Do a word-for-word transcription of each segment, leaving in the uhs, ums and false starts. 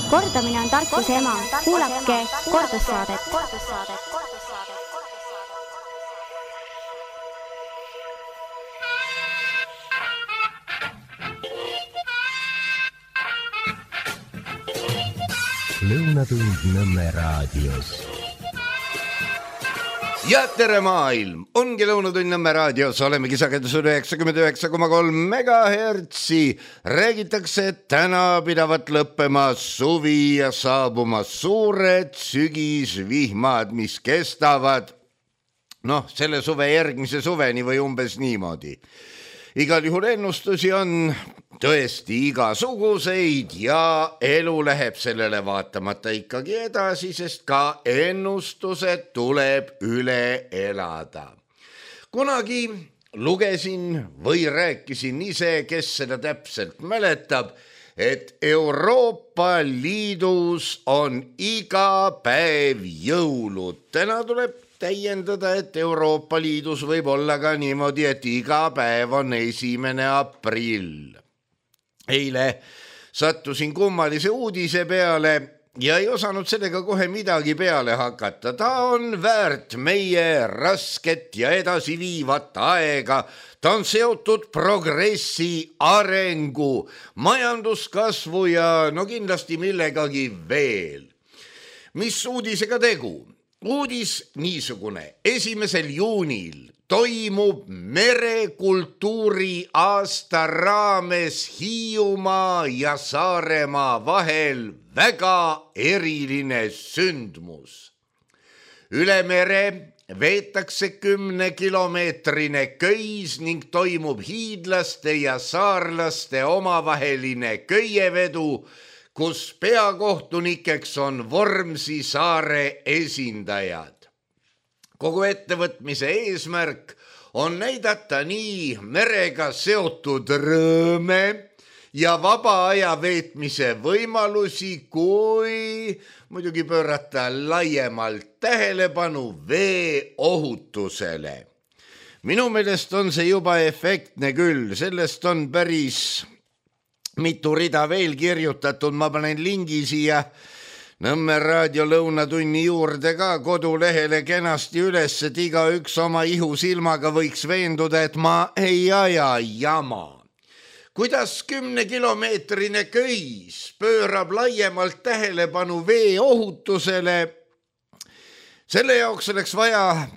Kordamine on tarkuse ema. Kuulake kordussaadet. Lõunatund Nõmme raadios. Ja tere maailm, ongi Lõunatund Nõmme raadios, olemegi sagedusel üheksakümmend üheksa koma kolm megahertsi. Räägitakse, et täna pidavat lõppema suvi ja saabumas suured sügisvihmad, mis kestavad noh, selle suve järgmise suveni või umbes niimoodi. Igal juhul ennustusi on tõesti igasuguseid ja elu läheb sellele vaatamata ikkagi edasi, sest ka ennustused tuleb üle elada. Kunagi lugesin või rääkisin ise, kes seda täpselt mäletab, et Euroopa Liidus on iga päev jõulud. Täna tuleb täiendada, et Euroopa Liidus võib olla ka niimoodi, et iga päev on esimene aprill. Eile sattusin kummalise uudise peale ja ei osanud sellega kohe midagi peale hakata. Ta on väärt meie rasket ja edasiviivat aega. Ta on seotud progressi, arengu, majanduskasvu ja no kindlasti millegagi veel. Mis uudisega tegu? Uudis niisugune. Esimesel juunil toimub merekultuuri aasta raames Hiiumaa ja Saaremaa vahel väga eriline sündmus. Üle mere veetakse kümnekilomeetrine köis ning toimub hiidlaste ja saarlaste omavaheline köievedu, kus peakohtunikeks on Vormsi saare esindajad. Kogu ettevõtmise eesmärk on näidata nii merega seotud rõõme ja vaba aja veetmise võimalusi, kui muidugi pöörata laiemalt tähelepanu vee ohutusele. Minu meelest on see juba efektne küll, sellest on päris mitu rida veel kirjutatud, ma panen lingi siia Nõmme raadio lõunatunni juurde ka kodulehele kenasti üles, et iga üks oma ihusilmaga võiks veenduda, et ma ei aja jama. Kuidas kümnekilomeetrine köis pöörab laiemalt tähelepanu vee ohutusele, selle jaoks oleks vaja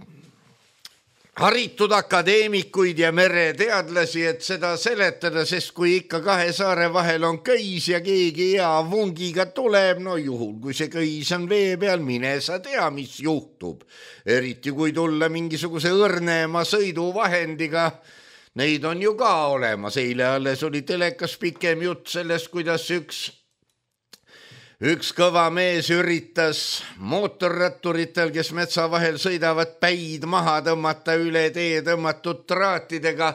haritud akadeemikuid ja mereteadlasi, et seda seletada, sest kui ikka kahe saare vahel on köis ja keegi hea vungiga tuleb, no juhul, kui see köis on vee peal, mine sa tea, mis juhtub. Eriti kui tulla mingisuguse õrnema sõiduvahendiga, neid on ju ka olemas. Eile alles oli telekas pikem jutt sellest, kuidas üks Üks kõva mees üritas mootorratturitel, kes metsa vahel sõidavad, päid maha tõmmata üle tee tõmmatud traatidega.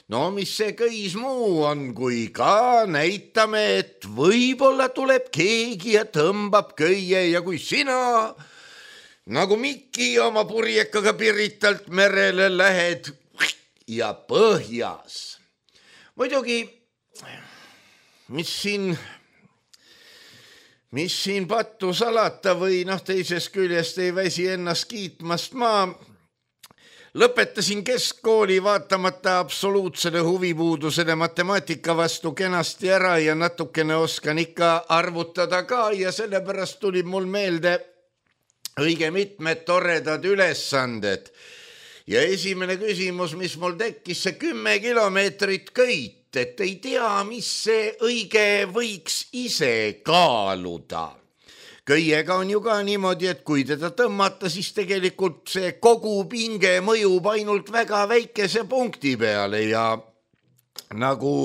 No mis see köis muu on, kui ka näitame, et võib-olla tuleb keegi ja tõmbab köie ja kui sina nagu Mikki oma purjekaga Piritalt merele lähed ja põhjas. Muidugi, mis siin... Mis siin pattu salata või noh, teisest küljest ei väsi ennast kiitmast. Ma lõpetasin keskkooli vaatamata absoluutsele huvipuudusele matemaatika vastu kenasti ära ja natukene oskan ikka arvutada ka ja sellepärast tuli mul meelde õige mitmed toredad ülesanded. Ja esimene küsimus, mis mul tekkis, see kümme kilomeetrit köit. Et ei tea, mis see õige võiks ise kaaluda. Köiega on ju ka niimoodi, et kui teda tõmmata, siis tegelikult see kogu pinge mõjub ainult väga väikese punkti peale ja nagu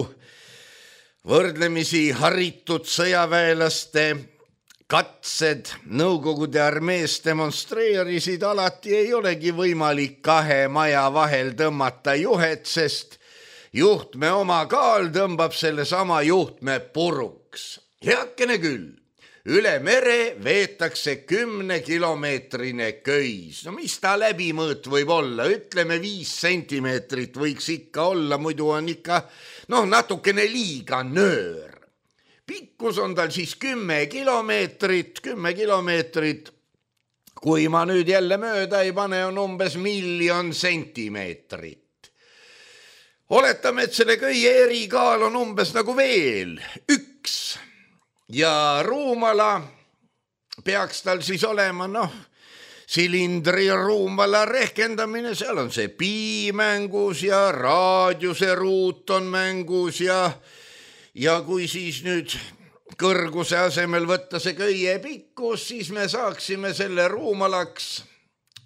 võrdlemisi haritud sõjaväelaste katsed Nõukogude armees demonstreerisid, alati ei olegi võimalik kahe maja vahel tõmmata juhet, sest juhtme oma kaal tõmbab selle sama juhtme puruks. Heakene küll, üle mere veetakse kümnekilomeetrine köis. No mis ta läbimõõt võib olla? Ütleme viis sentimeetrit võiks ikka olla, muidu on ikka noh, natukene liiga nöör. pikkus on tal siis kümme kilomeetrit, kümme kilomeetrit. Kui ma nüüd jälle mööda ei pane, on umbes miljon sentimeetrit. Oletame, et selle köie erikaal on umbes nagu veel üks ja ruumala peaks tal siis olema, noh, silindri ruumala rehkendamine, seal on see pi mängus ja raadiuse ruut on mängus ja, ja kui siis nüüd kõrguse asemel võtta see köie pikkus, siis me saaksime selle ruumalaks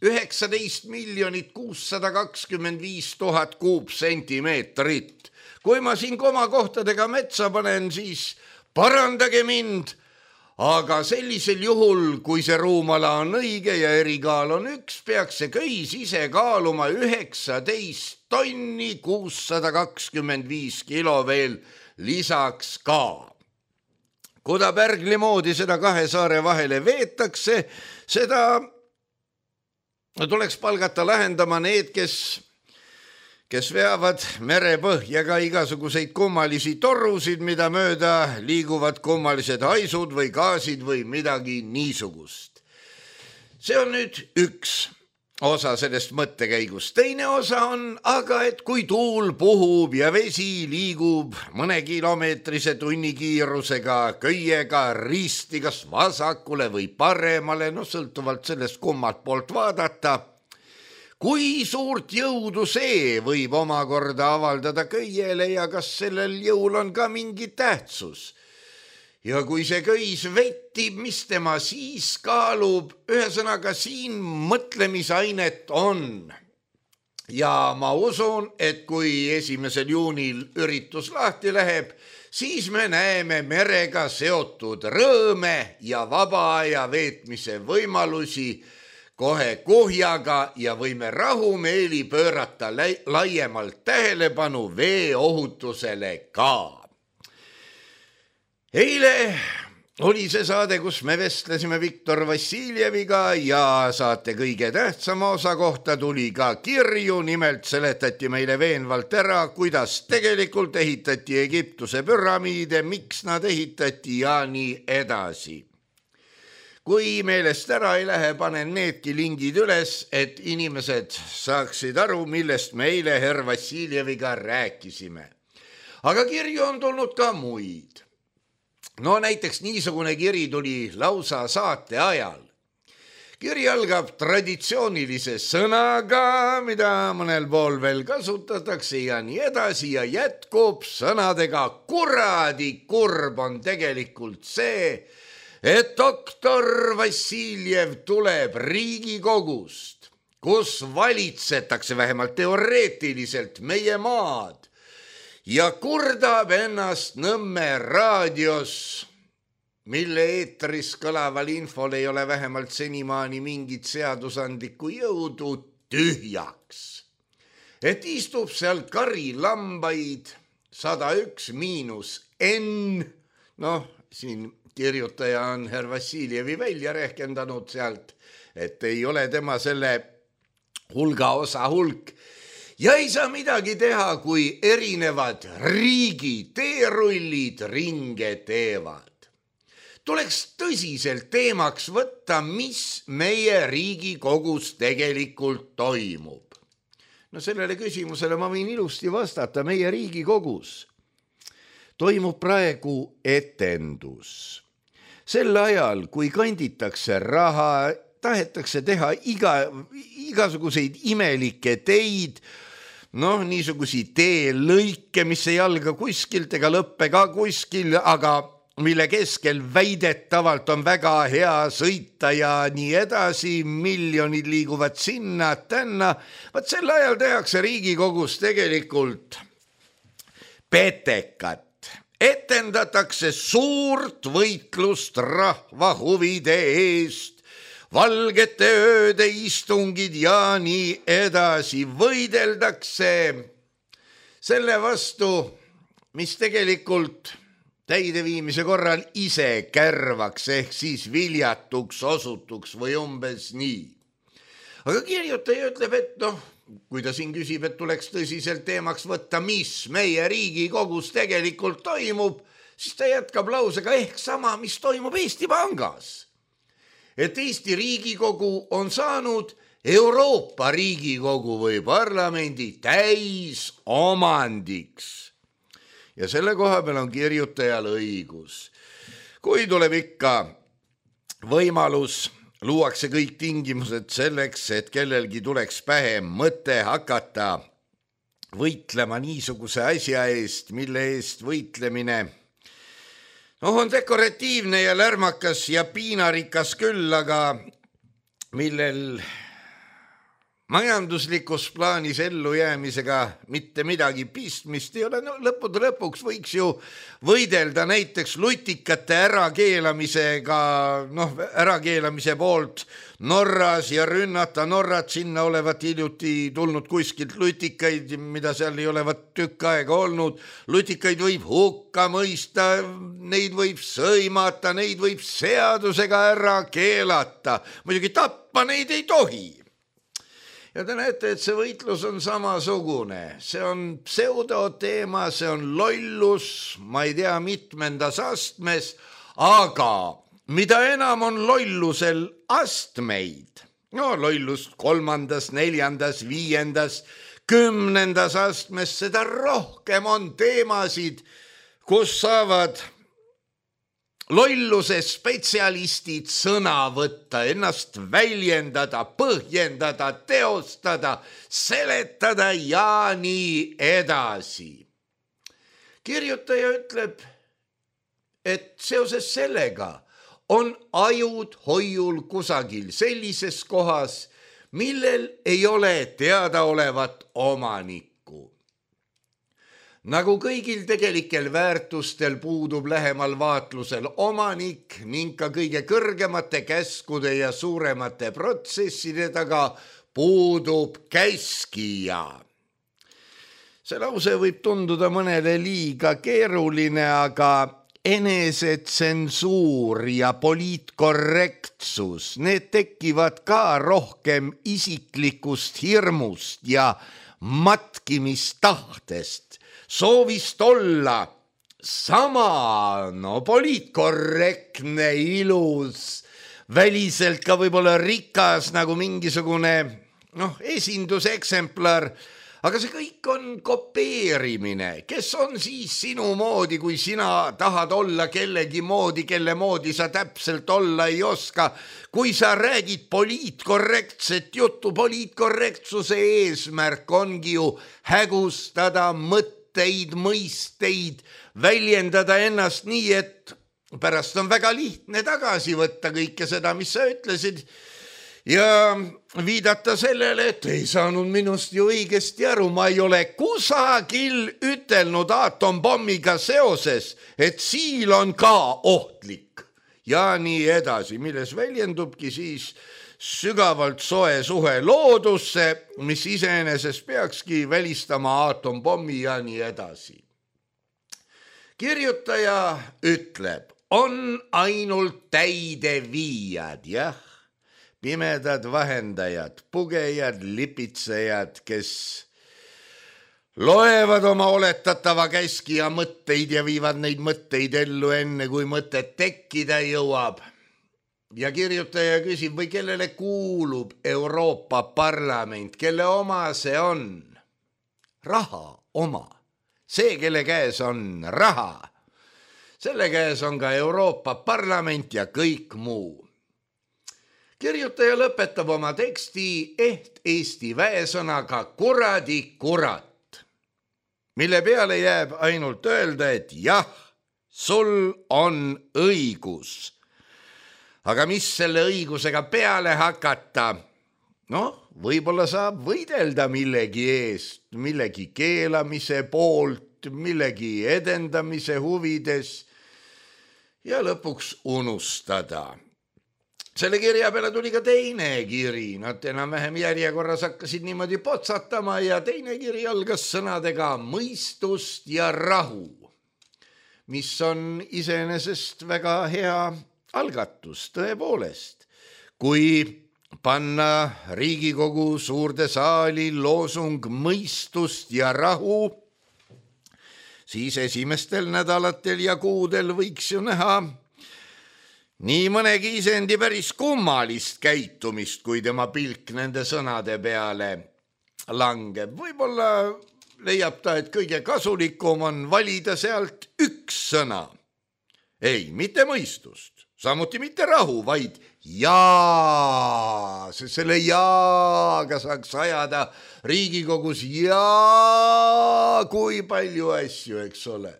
üheksateist miljonit kuussada kakskümmend viis tuhat kuupsentimeetrit. Kui ma siin komakohtadega metsa panen, siis parandage mind, aga sellisel juhul, kui see ruumala on õige ja erikaal on üks, peaks see köis ise kaaluma üheksateist tonni kuussada kakskümmend viis kilo veel lisaks ka. Kuda pärgli moodi seda kahe saare vahele veetakse, seda tuleks palgata lahendama need, kes, kes veavad merepõhja ka igasuguseid kummalisi torusid, mida mööda liiguvad kummalised haisud või gaasid või midagi niisugust. See on nüüd üks osa sellest mõttekäigust. Teine osa on aga, et kui tuul puhub ja vesi liigub mõne kilomeetrise tunnikiirusega köiega risti kas vasakule või paremale, no sõltuvalt sellest kummalt poolt vaadata, kui suurt jõudu see võib omakorda avaldada köiele ja kas sellel jõul on ka mingi tähtsus. Ja kui see köis vettib, mis tema siis kaalub, ühesõnaga siin mõtlemisainet on. Ja ma usun, et kui esimesel juunil üritus lahti läheb, siis me näeme merega seotud rõõme ja vaba aja veetmise võimalusi kohe kuhjaga ja võime rahumeeli pöörata laiemalt tähelepanu veeohutusele ka. Eile oli see saade, kus me vestlesime Viktor Vassiljeviga ja saate kõige tähtsama osa kohta tuli ka kirju, nimelt seletati meile veenvalt ära, kuidas tegelikult ehitati Egiptuse püramiide, miks nad ehitati ja nii edasi. Kui meelest ära ei lähe, panen needki lingid üles, et inimesed saaksid aru, millest me eile herr Vassiljeviga rääkisime. Aga kirju on tulnud ka muid. No näiteks niisugune kiri tuli lausa saate ajal. Kiri algab traditsioonilise sõnaga, mida mõnel pool veel kasutatakse ja nii edasi ja jätkub sõnadega kuradi kurb on tegelikult see, et doktor Vassiljev tuleb Riigikogust, kus valitsetakse vähemalt teoreetiliselt meie maad, ja kurdab ennast Nõmme raadios, mille eetris kõlaval infol ei ole vähemalt senimaani mingit seadusandlikku jõudu, tühjaks. Et istub seal kari lambaid sada üks miinus N, noh, siin kirjutaja on herr Vassiljevi välja rehkendanud sealt, et ei ole tema selle hulga osa hulk, ja ei saa midagi teha, kui erinevad riigi teerullid ringe teevad. Tuleks tõsiselt teemaks võtta, mis meie Riigikogus tegelikult toimub. No sellele küsimusele ma võin ilusti vastata. Meie Riigikogus toimub praegu etendus. Sel ajal, kui kanditakse raha, tahetakse teha iga, igasuguseid imelikke teid, noh, niisugusi teelõike, mis ei alga kuskilt ega lõppe ka kuskil, aga mille keskel väidetavalt on väga hea sõita ja nii edasi, miljonid liiguvad sinna, tänna. Vaat sel ajal tehakse Riigikogus tegelikult petekat. Etendatakse suurt võitlust rahva huvide eest, valgete ööde istungid ja nii edasi. Võideldakse selle vastu, mis tegelikult täideviimise korral ise kärvaks ehk siis viljatuks osutuks või umbes nii. Aga kirjutaja ütleb, et noh, kui ta siin küsib, et tuleks tõsiselt teemaks võtta, mis meie Riigikogus tegelikult toimub, siis ta jätkab lausega ehk sama, mis toimub Eesti Pangas. Et Eesti Riigikogu on saanud Euroopa Riigikogu või parlamendi täis omandiks. Ja selle koha peal on kirjutajal õigus. Kui tuleb ikka võimalus, luuakse kõik tingimused selleks, et kellelgi tuleks pähe mõte hakata võitlema niisuguse asja eest, mille eest võitlemine noh, on dekoratiivne ja lärmakas ja piinarikas küll, aga millel majanduslikus plaanis ellujäämisega mitte midagi pistmist ei ole. No, lõppude lõpuks võiks ju võidelda näiteks lutikate ärakeelamisega, noh, ärakeelamise poolt Norras ja rünnata Norrat, sinna olevat hiljuti tulnud kuskilt lutikaid, mida seal ei olevat tükk aega olnud. Lutikaid võib hukka mõista, neid võib sõimata, neid võib seadusega ära keelata. Muidugi tappa neid ei tohi. Ja te näete, et see võitlus on samasugune. See on pseudoteema, see on lollus, ma ei tea mitmendas astmes, aga mida enam on lollusel astmeid, no lollust kolmandas, neljandas, viiendas, kümnendas astmes, seda rohkem on teemasid, kus saavad lolluse spetsialistid sõna võtta, ennast väljendada, põhjendada, teostada, seletada ja nii edasi. Kirjutaja ütleb, et seoses sellega on ajud hoiul kusagil sellises kohas, millel ei ole teadaolevat omanikku. Nagu kõigil tegelikel väärtustel puudub lähemal vaatlusel omanik ning ka kõige kõrgemate käskude ja suuremate protsesside taga puudub käskija. See lause võib tunduda mõnele liiga keeruline, aga enesetsensuur ja poliitkorrektsus, need tekivad ka rohkem isiklikust hirmust ja matkimistahtest, soovist olla sama, no poliitkorrektne, ilus, väliselt ka võib-olla rikas nagu mingisugune noh, esinduseksemplar, aga see kõik on kopeerimine. Kes on siis sinu moodi, kui sina tahad olla kellegi moodi, kelle moodi sa täpselt olla ei oska? Kui sa räägid poliitkorrektset juttu, poliitkorrektsuse eesmärk ongi ju hägustada mõtteid, mõisteid, väljendada ennast nii, et pärast on väga lihtne tagasi võtta kõike seda, mis sa ütlesid ja viidata sellele, et ei saanud minust ju õigesti aru, ma ei ole kusagil ütelnud aatompommiga seoses, et siil on ka ohtlik ja nii edasi, milles väljendubki siis sügavalt soe suhe loodusse, mis iseenesest peakski välistama aatompommi ja nii edasi. Kirjutaja ütleb, on ainult täideviijad, jah, pimedad vahendajad, pugejad, lipitsejad, kes loevad oma oletatava käskija mõtteid ja viivad neid mõtteid ellu enne, kui mõtet tekkida jõuab. Ja kirjutaja küsib, või kellele kuulub Euroopa Parlament, kelle oma see on? Raha oma. See, kelle käes on raha. Selle käes on ka Euroopa Parlament ja kõik muu. Kirjutaja lõpetab oma teksti ehk eesti väesõnaga kuradi kurat, mille peale jääb ainult öelda, et jah, sul on õigus. Aga mis selle õigusega peale hakata? Noh, võib-olla saab võidelda millegi eest, millegi keelamise poolt, millegi edendamise huvides ja lõpuks unustada. Selle kirja peale tuli ka teine kiri, nad enam-vähem järjekorras hakkasid niimoodi potsatama ja teine kiri algas sõnadega mõistust ja rahu, mis on iseenesest väga hea algatus tõepoolest. Kui panna Riigikogu suurde saali loosung mõistust ja rahu, siis esimestel nädalatel ja kuudel võiks ju näha nii mõnegi isendi päris kummalist käitumist, kui tema pilk nende sõnade peale langeb. Võib-olla leiab ta, et kõige kasulikum on valida sealt üks sõna. Ei, mitte mõistust, samuti mitte rahu, vaid jaa, sest selle jaaga saaks ajada Riigikogus jaa, kui palju asju, eks ole.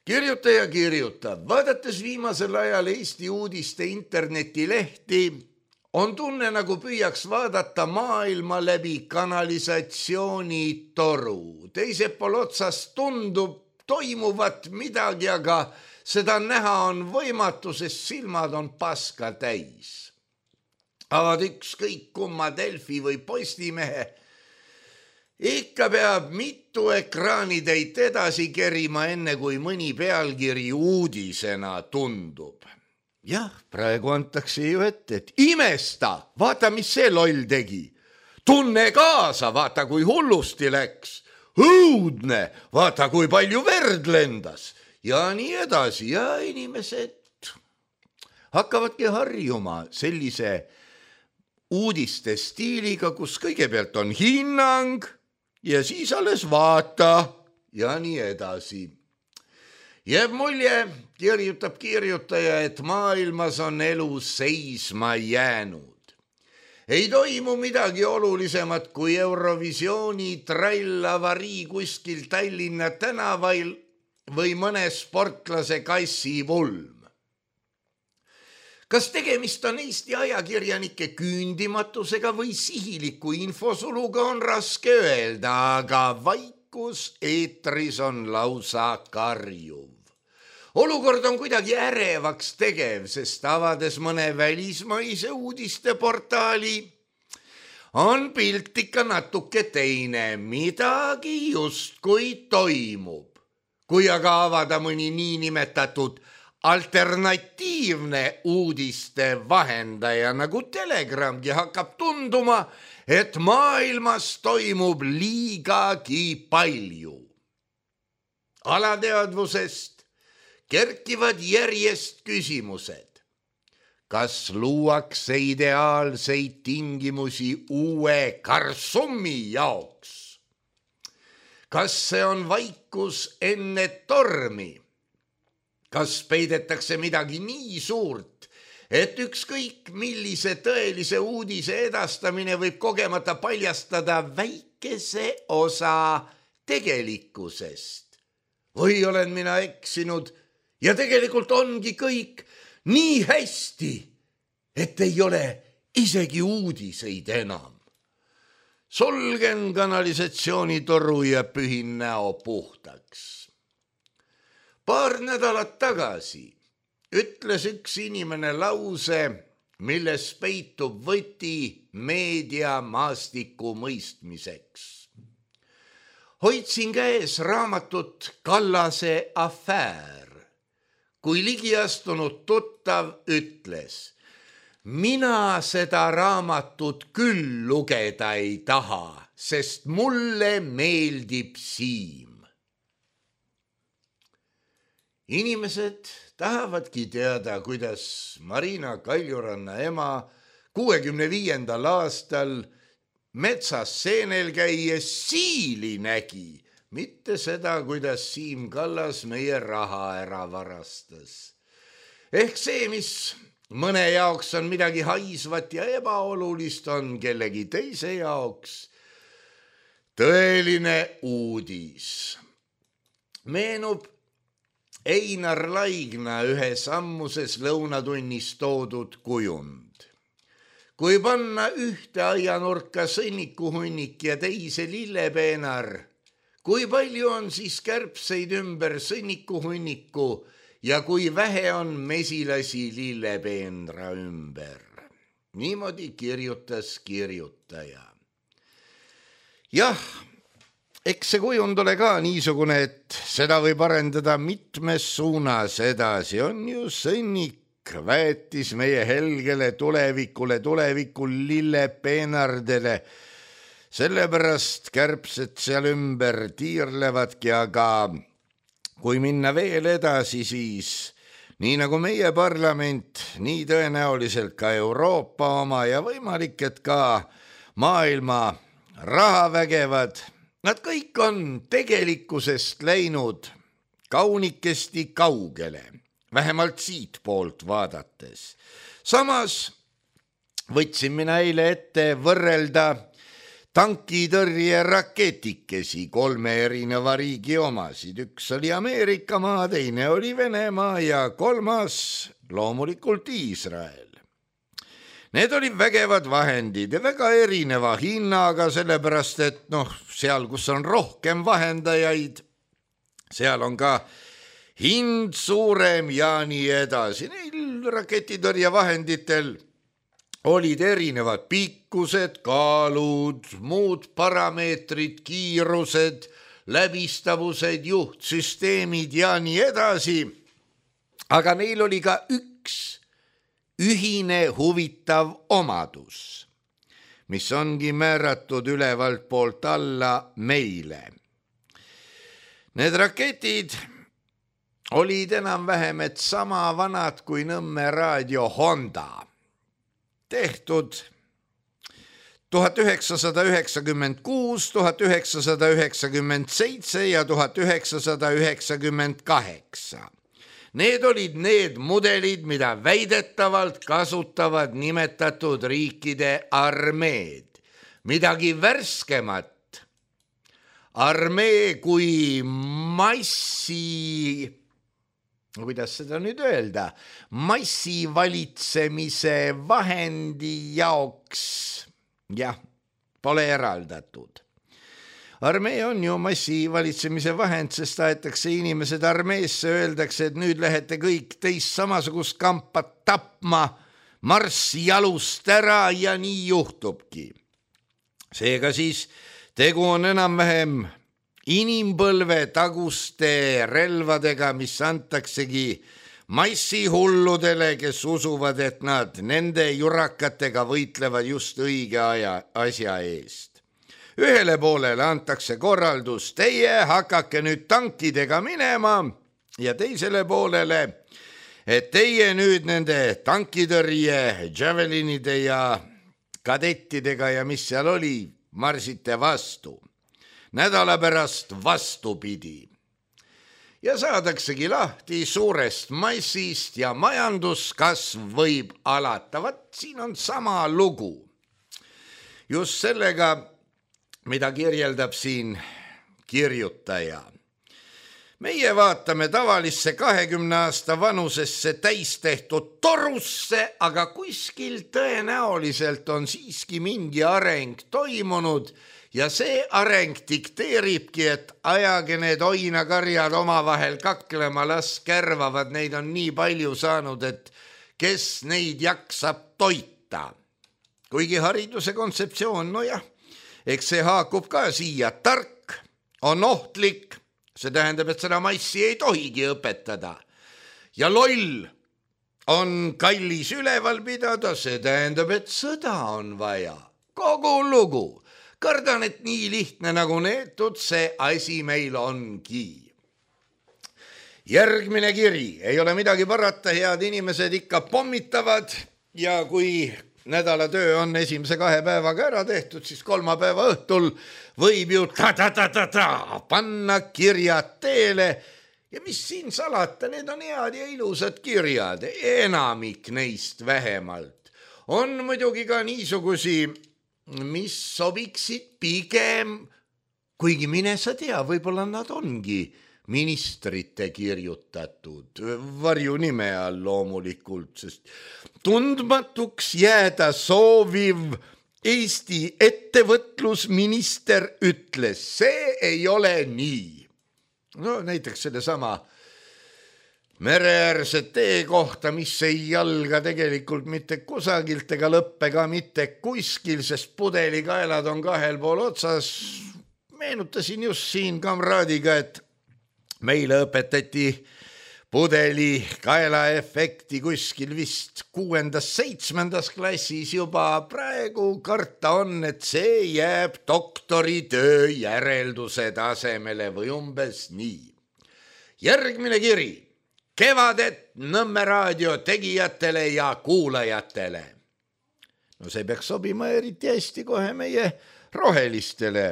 Kirjuta ja kirjutab. Vaadates viimasel ajal Eesti uudiste internetilehti, on tunne, nagu püüaks vaadata maailma läbi kanalisatsioonitoru. Teisel pool otsas tundub toimuvat midagi, aga seda näha on võimatu, sest silmad on paska täis. Avad ükskõik kumma Delfi või Postimehe, ikka peab mitu ekraanitäit edasi kerima, enne kui mõni pealkiri uudisena tundub. Jah, praegu antakse ju ette, et imesta, vaata, mis see loll tegi. Tunne kaasa, vaata, kui hullusti läks. Õudne, vaata, kui palju verd lendas. Ja nii edasi, ja inimesed hakkavadki harjuma sellise uudiste stiiliga, kus kõigepealt on hinnang ja siis alles vaata ja nii edasi. Jääb mulje, kirjutab kirjutaja, et maailmas on elu seisma jäänud. Ei toimu midagi olulisemat kui Eurovisiooni trallavarii kuskil Tallinna tänavail või mõne sportlase kassipulm. Kas tegemist on Eesti ajakirjanike küündimatusega või sihiliku infosuluga, on raske öelda, aga vaikus eetris on lausa karjuv. Olukord on kuidagi ärevaks tegev, sest avades mõne välismaise uudisteportaali on pilt ikka natuke teine, midagi justkui toimub. Kui aga avada mõni niinimetatud alternatiivne uudiste vahendaja nagu Telegramgi, hakkab tunduma, et maailmas toimub liigagi palju. Alateadvusest kerkivad järjest küsimused. Kas luuakse ideaalseid tingimusi uue Karsumi jaoks? Kas see on vaikus enne tormi? Kas peidetakse midagi nii suurt, et ükskõik millise tõelise uudise edastamine võib kogemata paljastada väikese osa tegelikkusest? Või olen mina eksinud ja tegelikult ongi kõik nii hästi, et ei ole isegi uudiseid enam? Solgen kanalisatsioonitoru ja pühin näo puhtaks. Paar nädalat tagasi ütles üks inimene lause, milles peitub võti meedia maastiku mõistmiseks. Hoidsin käes raamatut Kallase afäär, kui ligiastunud tuttav ütles: mina seda raamatut küll lugeda ei taha, sest mulle meeldib Siim. Inimesed tahavadki teada, kuidas Marina Kaljuranna ema kuuekümne viiendal aastal metsas seenel käies siili nägi, mitte seda, kuidas Siim Kallas meie raha ära varastas. Ehk see, mis mõne jaoks on midagi haisvat ja ebaolulist, on kellegi teise jaoks tõeline uudis. Meenub Einar Laigna ühes ammuses lõunatunnis toodud kujund. Kui panna ühte aianurka sõnnikuhunnik ja teise lillepeenar, kui palju on siis kärbseid ümber sõnnikuhunniku ja kui vähe on mesilasi lillepeenra ümber? Niimoodi kirjutas kirjutaja. Jah, eks see kujund ole ka niisugune, et seda võib arendada mitmes suunas edasi. On ju sõnnik, väetis meie helgele tulevikule, tulevikul lillepeenardele. sellepärast kärbsed seal ümber tiirlevadki, aga kui minna veel edasi, siis nii nagu meie parlament, nii tõenäoliselt ka Euroopa oma ja võimalik, et ka maailma rahavägevad, nad kõik on tegelikkusest läinud kaunikesti kaugele, vähemalt siit poolt vaadates. Samas võtsin mina eile ette võrrelda tankitõrje raketikesi kolme erineva riigi omasid. Üks oli Ameerika maa, teine oli Venemaa ja kolmas loomulikult Iisrael. Need olid vägevad vahendid ja väga erineva hinnaga, sellepärast et noh, seal, kus on rohkem vahendajaid, seal on ka hind suurem ja nii edasi. Neil raketitõrjevahenditel olid erinevad pikkused, kaalud, muud parameetrid, kiirused, läbistavused, juhtsüsteemid ja nii edasi. Aga neil oli ka üks ühine huvitav omadus, mis ongi määratud ülevalt poolt alla meile. Need raketid olid enam-vähem et sama vanad kui Nõmme raadio Honda. Tehtud tuhat üheksasada üheksakümmend kuus, tuhat üheksasada üheksakümmend seitse ja tuhat üheksasada üheksakümmend kaheksa. Need olid need mudelid, mida väidetavalt kasutavad nimetatud riikide armeed. Midagi värskemat. Armee kui massi... kuidas seda nüüd öelda, massivalitsemise vahendi jaoks, jah, pole eraldatud. Armee on ju massivalitsemise vahend, sest aetakse inimesed armeesse, öeldakse, et nüüd lähete kõik teist samasugust kampa tapma, marss jalust ära ja nii juhtubki. Seega siis tegu on enam-vähem inimpõlve taguste relvadega, mis antaksegi massihulludele, kes usuvad, et nad nende jurakatega võitlevad just õige aja, asja eest. Ühele poolele antakse korraldus, teie hakake nüüd tankidega minema ja teisele poolele, et teie nüüd nende tankitõrje, javelinide ja kadettidega ja mis seal oli, marsite vastu. Nädala pärast vastupidi. Ja saadaksegi lahti suurest massist ja majanduskasv võib alata. Vat siin on sama lugu. Just sellega, mida kirjeldab siin kirjutaja. Meie vaatame tavalisse kahekümne aasta vanusesse täistehtud torusse, aga kuskil tõenäoliselt on siiski mingi areng toimunud ja see areng dikteeribki, et ajage need oinakarjad omavahel kaklema, las kärvavad, neid on nii palju saanud, et kes neid jaksab toita. Kuigi hariduse kontseptsioon, no jah, eks see haakub ka siia, tark on ohtlik, see tähendab, et seda massi ei tohigi õpetada. Ja loll on kallis üleval pidada, see tähendab, et sõda on vaja. Kogu lugu. Kardan, et nii lihtne nagu neetud see asi meil ongi. Järgmine kiri, ei ole midagi parata, head inimesed ikka pommitavad ja kui nädala töö on esimese kahe päevaga ära tehtud, siis kolmapäeva õhtul võib ju ta-ta-ta-ta-ta panna kirjad teele ja mis siin salata, need on head ja ilusad kirjad, enamik neist vähemalt. On muidugi ka niisugusi, mis sobiksid pigem, kuigi mine sa tea, võib-olla nad ongi ministrite kirjutatud, varjunime all loomulikult, sest tundmatuks jääda sooviv Eesti ettevõtlusminister ütles, see ei ole nii. No näiteks selle sama mereäärse tee kohta, mis ei jalga tegelikult mitte kusagilt ega lõppe ka mitte kuskil, sest pudelikaelad on kahel pool otsas. Meenutasin just siin kamraadiga, et meile õpetati pudeli kaelaefekti kuskil vist kuuendas, seitsmendas klassis juba praegu karta on, et see jääb doktoritöö järelduse tasemele või umbes nii. Järgmine kiri. Kevadet Nõmme raadio tegijatele ja kuulajatele. No see peaks sobima eriti hästi kohe meie rohelistele,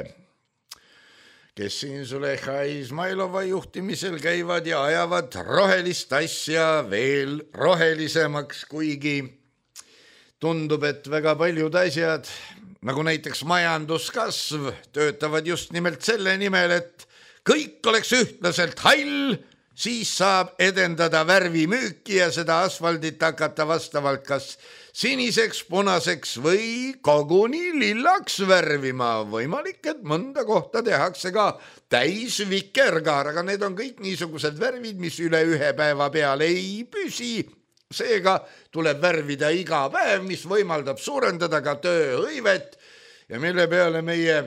kes siin Züleyxa Izmailova juhtimisel käivad ja ajavad rohelist asja veel rohelisemaks, kuigi tundub, et väga paljud asjad, nagu näiteks majanduskasv, töötavad just nimelt selle nimel, et kõik oleks ühtlaselt hall, siis saab edendada värvimüüki ja seda asfaldit hakata vastavalt kas siniseks, punaseks või koguni lillaks värvima. Võimalik, et mõnda kohta tehakse ka täis vikerkaar, aga need on kõik niisugused värvid, mis üle ühe päeva peale ei püsi. Seega tuleb värvida iga päev, mis võimaldab suurendada ka tööhõivet ja mille peale meie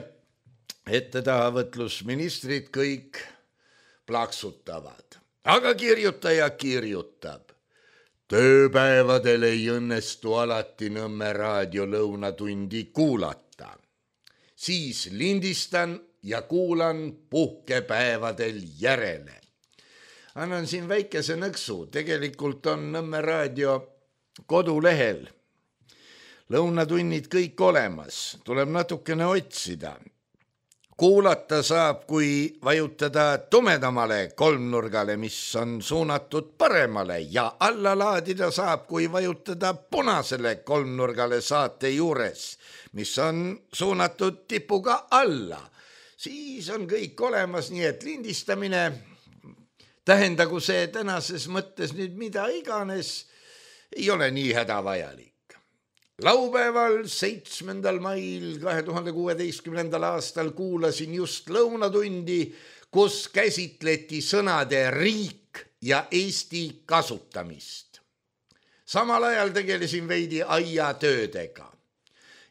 ettetahavõtlusministrid kõik plaksutavad. Aga kirjutaja kirjutab. Tööpäevadel ei õnnestu alati Nõmme raadio lõunatundi kuulata. Siis lindistan ja kuulan puhkepäevadel järele. Annan siin väikese nõksu. Tegelikult on Nõmme raadio kodulehel lõunatunnid kõik olemas. Tuleb natukene otsida. Kuulata saab, kui vajutada tumedamale kolmnurgale, mis on suunatud paremale ja alla laadida saab, kui vajutada punasele kolmnurgale saate juures, mis on suunatud tipuga alla. Siis on kõik olemas, nii et lindistamine, tähendagu see tänases mõttes nüüd mida iganes, ei ole nii hädavajalik. Laupäeval seitsmendal mail kahe tuhande kuueteistkümnendal aastal kuulasin just lõunatundi, kus käsitleti sõnade riik ja Eesti kasutamist. Samal ajal tegelesin veidi aiatöödega.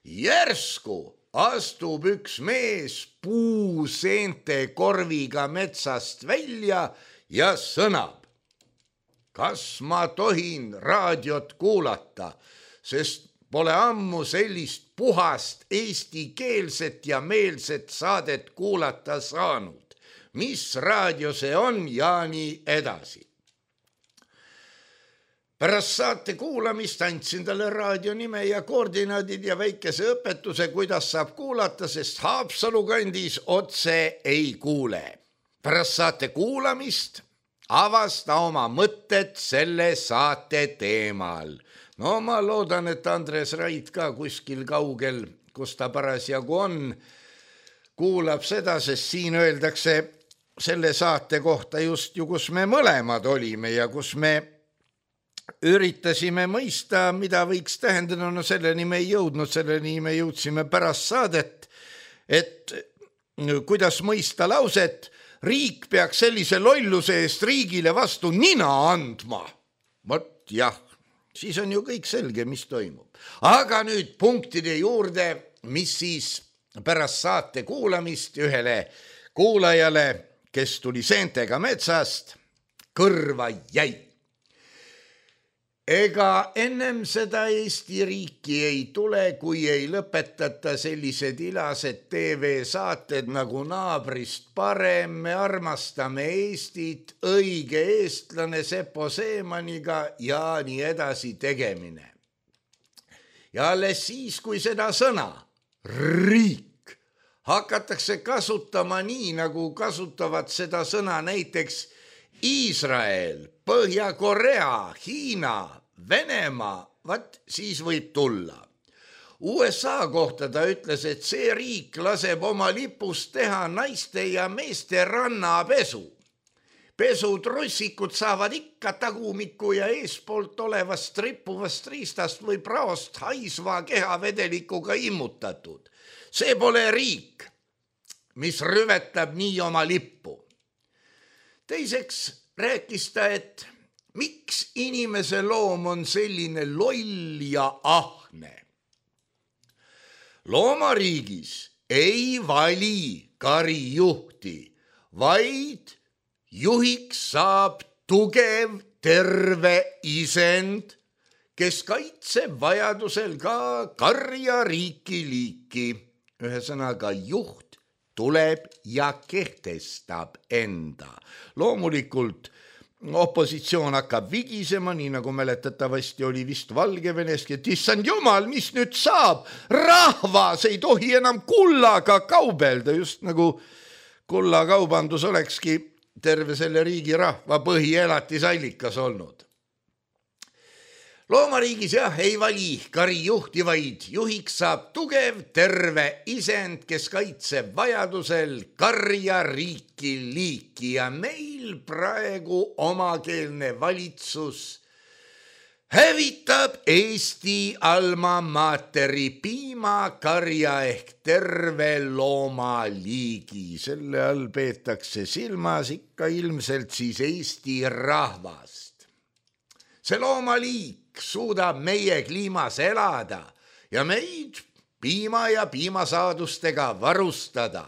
Järsku astub üks mees puuseente korviga metsast välja ja sõnab. Kas ma tohin raadiot kuulata, sest pole ammu sellist puhast eestikeelset ja meelset saadet kuulata saanud. Mis raadio see on ja nii edasi. Pärast saate kuulamist andsin talle raadio nime ja koordinaadid ja väikese õpetuse, kuidas saab kuulata, sest Haapsalu kandis otse ei kuule. Pärast saate kuulamist avas ta oma mõtted selle saate teemal. No ma loodan, et Andres Rait ka kuskil kaugel, kus ta parasjagu on, kuulab seda, sest siin öeldakse selle saate kohta just ju, kus me mõlemad olime ja kus me üritasime mõista, mida võiks tähendada, no selleni me ei jõudnud, selleni me jõudsime pärast saadet, et kuidas mõista lauset, riik peaks sellise lolluse eest riigile vastu nina andma. Vot jah. Siis on ju kõik selge, mis toimub. Aga nüüd punktide juurde, mis siis pärast saate kuulamist ühele kuulajale, kes tuli seentega metsast, kõrva jäi. Ega ennem seda Eesti riiki ei tule, kui ei lõpetata sellised ilased T V-saated nagu Naabrist parem, me armastame Eestit, õige eestlane Sepo Seemaniga ja nii edasi tegemine. Ja alles siis, kui seda sõna, riik, hakatakse kasutama nii, nagu kasutavad seda sõna näiteks Iisrael, Põhja-Korea, Hiina, Venemaa, vaat siis võib tulla. U S A kohta ta ütles, et see riik laseb oma lipust teha naiste ja meeste rannapesu. Pesutrussikud saavad ikka tagumiku ja eespoolt olevast rippuvast riistast või praost haisva kehavedelikuga immutatud. See pole riik, mis rüvetab nii oma lippu. Teiseks rääkis ta, et miks inimese loom on selline loll ja ahne. Loomariigis ei vali karijuhti, vaid juhiks saab tugev, terve isend, kes kaitseb vajadusel ka karja riiki liiki. Ühesõnaga juht tuleb ja kehtestab enda. Loomulikult opositsioon hakkab vigisema, nii nagu mäletatavasti oli vist Valgeveneski, et issand jumal, mis nüüd saab? Rahvas ei tohi enam kullaga kaubelda, just nagu kullakaubandus olekski terve selle riigi rahva põhielatisallikas olnud. Loomariigis jah, ei vali kari juhti, vaid juhiks saab tugev, terve isend, kes kaitseb vajadusel karja riiki liiki ja meil praegu omakeelne valitsus hävitab Eesti alma materi piimakarja ehk terve loomaliigi. Selle all peetakse silmas ikka ilmselt siis Eesti rahvast. See loomaliik suudab meie kliimas elada ja meid piima ja piimasaadustega varustada.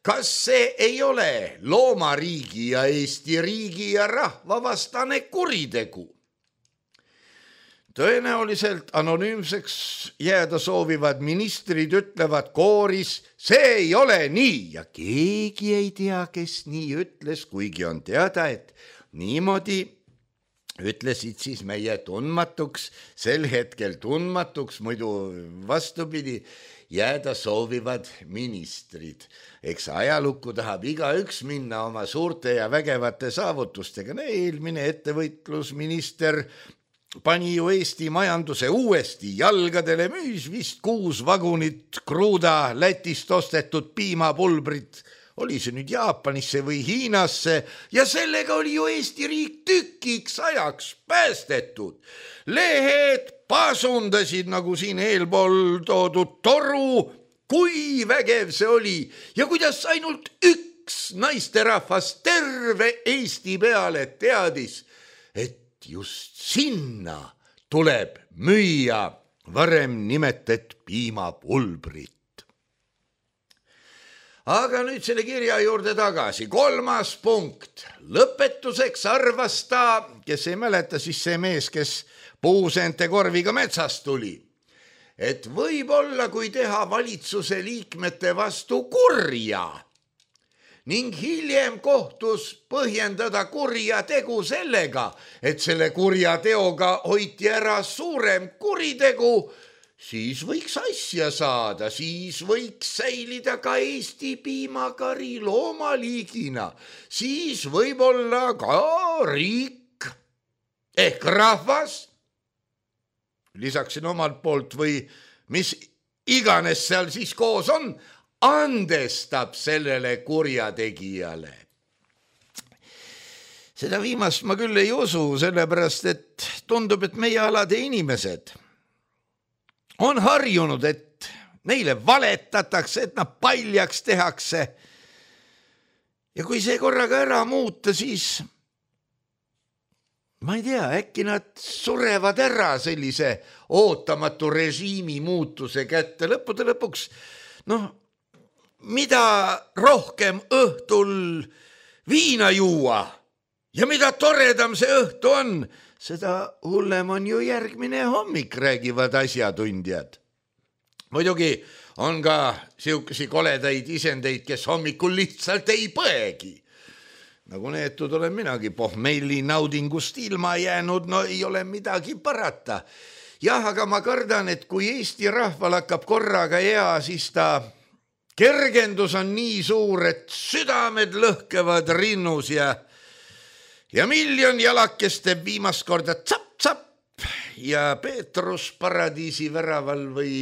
Kas see ei ole loomariigi ja Eesti riigi ja rahva vastane kuritegu? Tõenäoliselt anonüümseks jääda soovivad ministrid ütlevad kooris, see ei ole nii ja keegi ei tea, kes nii ütles, kuigi on teada, et niimoodi ütlesid siis meie tundmatuks, sel hetkel tundmatuks, muidu vastupidi, jääda soovivad ministrid. Eks ajalukku tahab igaüks minna oma suurte ja vägevate saavutustega. Eelmine ettevõtlusminister pani ju Eesti majanduse uuesti jalgadele, müüs vist kuus vagunit kruuda Lätist ostetud piimapulbrit, oli see nüüd Jaapanisse või Hiinasse ja sellega oli ju Eesti riik tükiks ajaks päästetud. Lehed pasundasid nagu siin eelpool toodud toru, kui vägev see oli ja kuidas ainult üks naisterahvas terve Eesti peale teadis, et just sinna tuleb müüa varem nimetet piimapulbrit. Aga nüüd selle kirja juurde tagasi. Kolmas punkt. Lõpetuseks arvas ta, kes ei mäleta, siis see mees, kes puuseente korviga metsast tuli, et võib-olla kui teha valitsuse liikmete vastu kurja ning hiljem kohtus põhjendada kurja tegu sellega, et selle kurja teoga hoiti ära suurem kuritegu, siis võiks asja saada, siis võiks säilida ka Eesti piimakari loomaliigina, siis võib-olla ka riik ehk rahvas, lisaksin omalt poolt või mis iganes seal siis koos on, andestab sellele kurjategijale. Seda viimast ma küll ei usu, sellepärast et tundub, et meie alade inimesed on harjunud, et neile valetatakse, et nad paljaks tehakse. Ja kui see korraga ära muuta, siis ma ei tea, äkki nad surevad ära sellise ootamatu režiimi muutuse kätte. Lõppude lõpuks, noh, mida rohkem õhtul viina juua ja mida toredam see õhtu on, seda hullem on ju järgmine hommik, räägivad asjatundjad. Muidugi on ka siukesi koledaid isendeid, kes hommikul lihtsalt ei põegi. Nagu neetud olen minagi pohmeili naudingust ilma jäänud, no ei ole midagi parata. Jah, aga ma kardan, et kui Eesti rahval hakkab korraga hea, siis ta kergendus on nii suur, et südamed lõhkevad rinnus ja Ja miljon jalakest teeb viimast korda tsapp-tsapp ja Peetrus paradiisi väraval või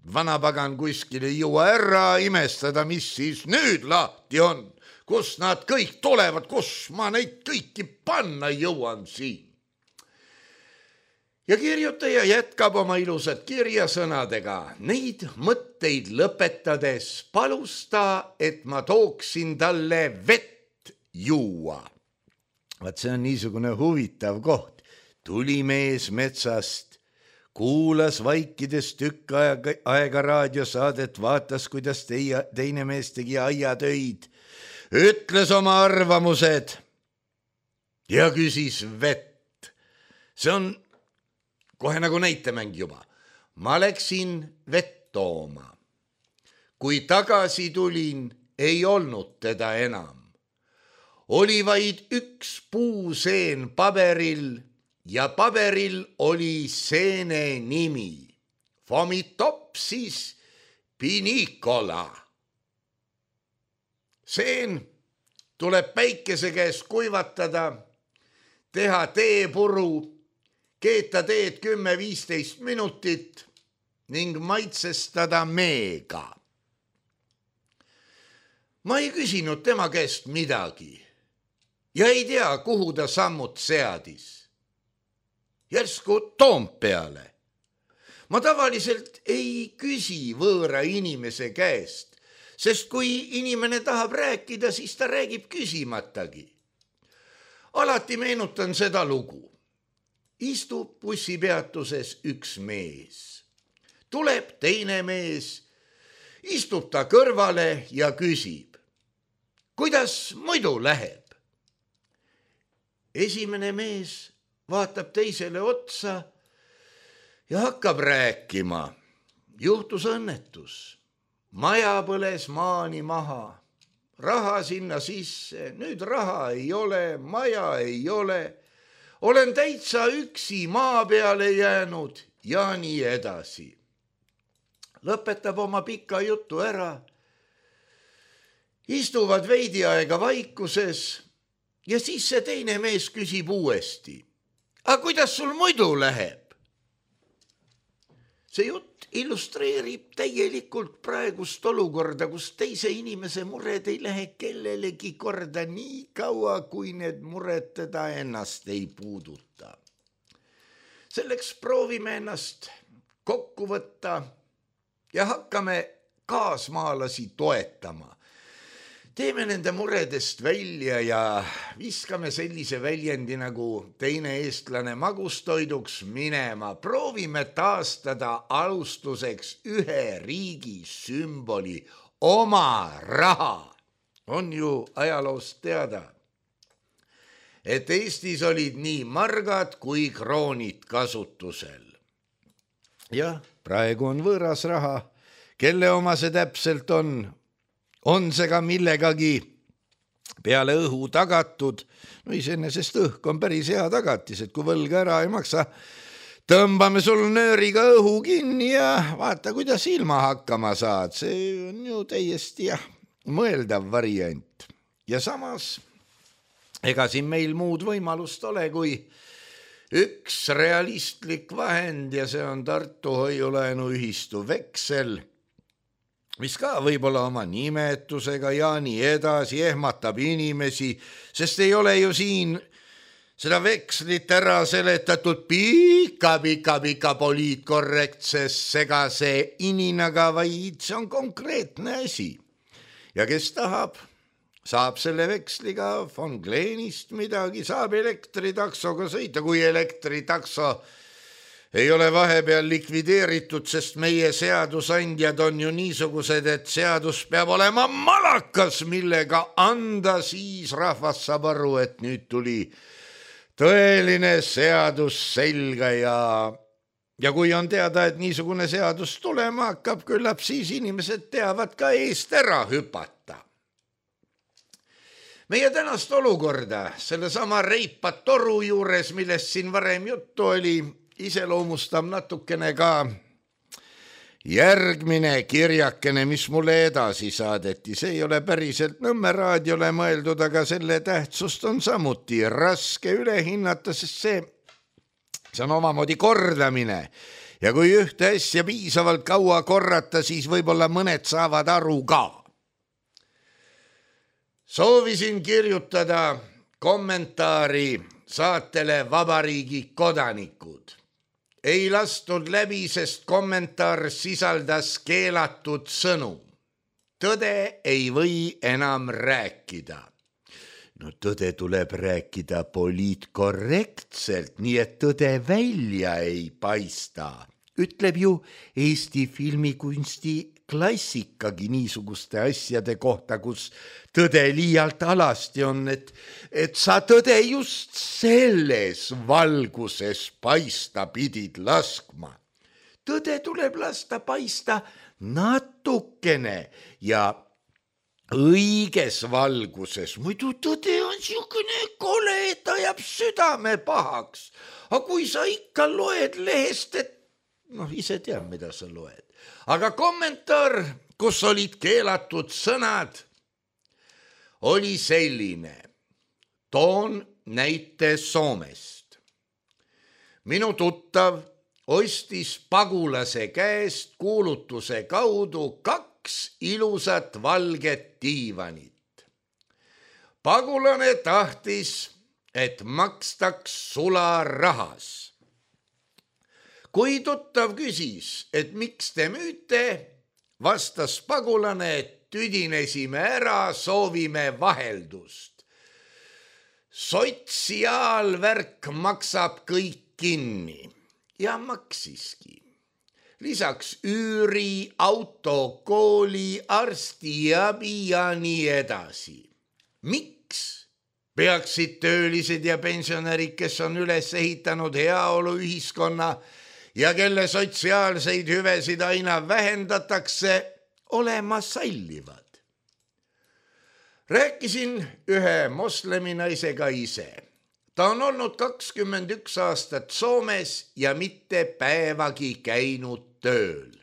vanapagan kuskil ei jõua ära imestada, mis siis nüüd lahti on, kus nad kõik tulevad, kus ma neid kõiki panna jõuan siin. Ja kirjutaja jätkab oma ilusat kirjasõnadega. Neid mõtteid lõpetades palus ta, et ma tooksin talle vett juua. Vaat see on niisugune huvitav koht. Tuli mees metsast, kuulas vaikides tükk aega, aega raadiosaadet, vaatas, kuidas teie, teine mees tegi aiatöid, ütles oma arvamused ja küsis vett. See on kohe nagu näitemäng juba. Ma läksin vett tooma. Kui tagasi tulin, ei olnud teda enam. Oli vaid üks puuseen paberil ja paberil oli seene nimi. Fomitopsis pinicola. Seen tuleb päikese käes kuivatada, teha teepuru, keeta teed kümme viisteist minutit ning maitsestada meega. Ma ei küsinud tema käest midagi ja ei tea, kuhu ta sammud seadis. Järsku Toompeale. Ma tavaliselt ei küsi võõra inimese käest, sest kui inimene tahab rääkida, siis ta räägib küsimatagi. Alati meenutan seda lugu. Istub bussipeatuses üks mees. Tuleb teine mees, istub ta kõrvale ja küsib, kuidas muidu läheb? Esimene mees vaatab teisele otsa ja hakkab rääkima. Juhtus õnnetus. Maja põles maani maha. Raha sinna sisse. Nüüd raha ei ole, maja ei ole. Olen täitsa üksi maa peale jäänud ja nii edasi. Lõpetab oma pika jutu ära. Istuvad veidi aega vaikuses ja siis see teine mees küsib uuesti. Aga kuidas sul muidu läheb? See jutt illustreerib täielikult praegust olukorda, kus teise inimese mured ei lähe kellelegi korda nii kaua, kui need mured teda ennast ei puuduta. Selleks proovime ennast kokku võtta ja hakkame kaasmaalasi toetama. Teeme nende muredest välja ja viskame sellise väljendi nagu teine eestlane magustoiduks minema. Proovime taastada alustuseks ühe riigi sümboli, oma raha. On ju ajaloost teada, et Eestis olid nii margad kui kroonid kasutusel. Jah, praegu on võõras raha. Kelle oma see täpselt on? On see ka millegagi peale õhu tagatud? No iseenesest õhk on päris hea tagatis, et kui võlga ära ei maksa, tõmbame sul nööriga õhu kinni ja vaata, kuidas ilma hakkama saad. See on ju täiesti jah, mõeldav variant. Ja samas, ega siin meil muud võimalust ole, kui üks realistlik vahend ja see on Tartu hoiulaenuühistu veksel, mis ka võib-olla oma nimetusega ja nii edasi ehmatab inimesi, sest ei ole ju siin seda vekslit ära seletatud pika, pika, pika poliitkorrektses segase ininaga, vaid see on konkreetne asi. Ja kes tahab, saab selle veksliga von Gleenist midagi, saab elektritaksoga sõita, kui elektritakso ei ole vahepeal likvideeritud, sest meie seadusandjad on ju niisugused, et seadus peab olema malakas, millega anda, siis rahvas saab aru, et nüüd tuli tõeline seadus selga ja, ja kui on teada, et niisugune seadus tulema hakkab, küllap siis inimesed teavad ka eest ära hüpata. Meie tänast olukorda, selle sama reipa toru juures, millest siin varem juttu oli, iseloomustab natukene ka järgmine kirjakene, mis mulle edasi saadeti. See ei ole päriselt Nõmme raadiole mõeldud, aga selle tähtsust on samuti raske üle hinnata, sest see, see on omamoodi kordamine. Ja kui ühte asja piisavalt kaua korrata, siis võib-olla mõned saavad aru ka. Soovisin kirjutada kommentaari saatele Vabariigi kodanikud. Ei lastud läbi, sest kommentaar sisaldas keelatud sõnu. Tõde ei või enam rääkida. No tõde tuleb rääkida poliitkorrektselt, nii et tõde välja ei paista. Ütleb ju Eesti filmikunsti klassikagi niisuguste asjade kohta, kus tõde liialt alasti on, et, et sa tõde just selles valguses paista pidid laskma. Tõde tuleb lasta paista natukene ja õiges valguses, muidu tõde on siukene kole, et ajab südame pahaks. Aga kui sa ikka loed lehest, et noh, ise tead, mida sa loed. Aga kommentaar, kus olid keelatud sõnad, oli selline. Toon näite Soomest. Minu tuttav ostis pagulase käest kuulutuse kaudu kaks ilusat valget diivanit. Pagulane tahtis, et makstaks sularahas. Kui tuttav küsis, et miks te müüte, vastas pagulane, et tüdinesime ära, soovime vaheldust. Sotsiaalvärk maksab kõik kinni ja maksiski. Lisaks üüri, auto, kooli, arstiabi ja nii edasi. Miks peaksid töölised ja pensionärid, kes on üles ehitanud heaolu ühiskonna ja kelle sotsiaalseid hüvesid aina vähendatakse, olema sallivad? Rääkisin ühe moslemi naisega ise. Ta on olnud kakskümmend üks aastat Soomes ja mitte päevagi käinud tööl.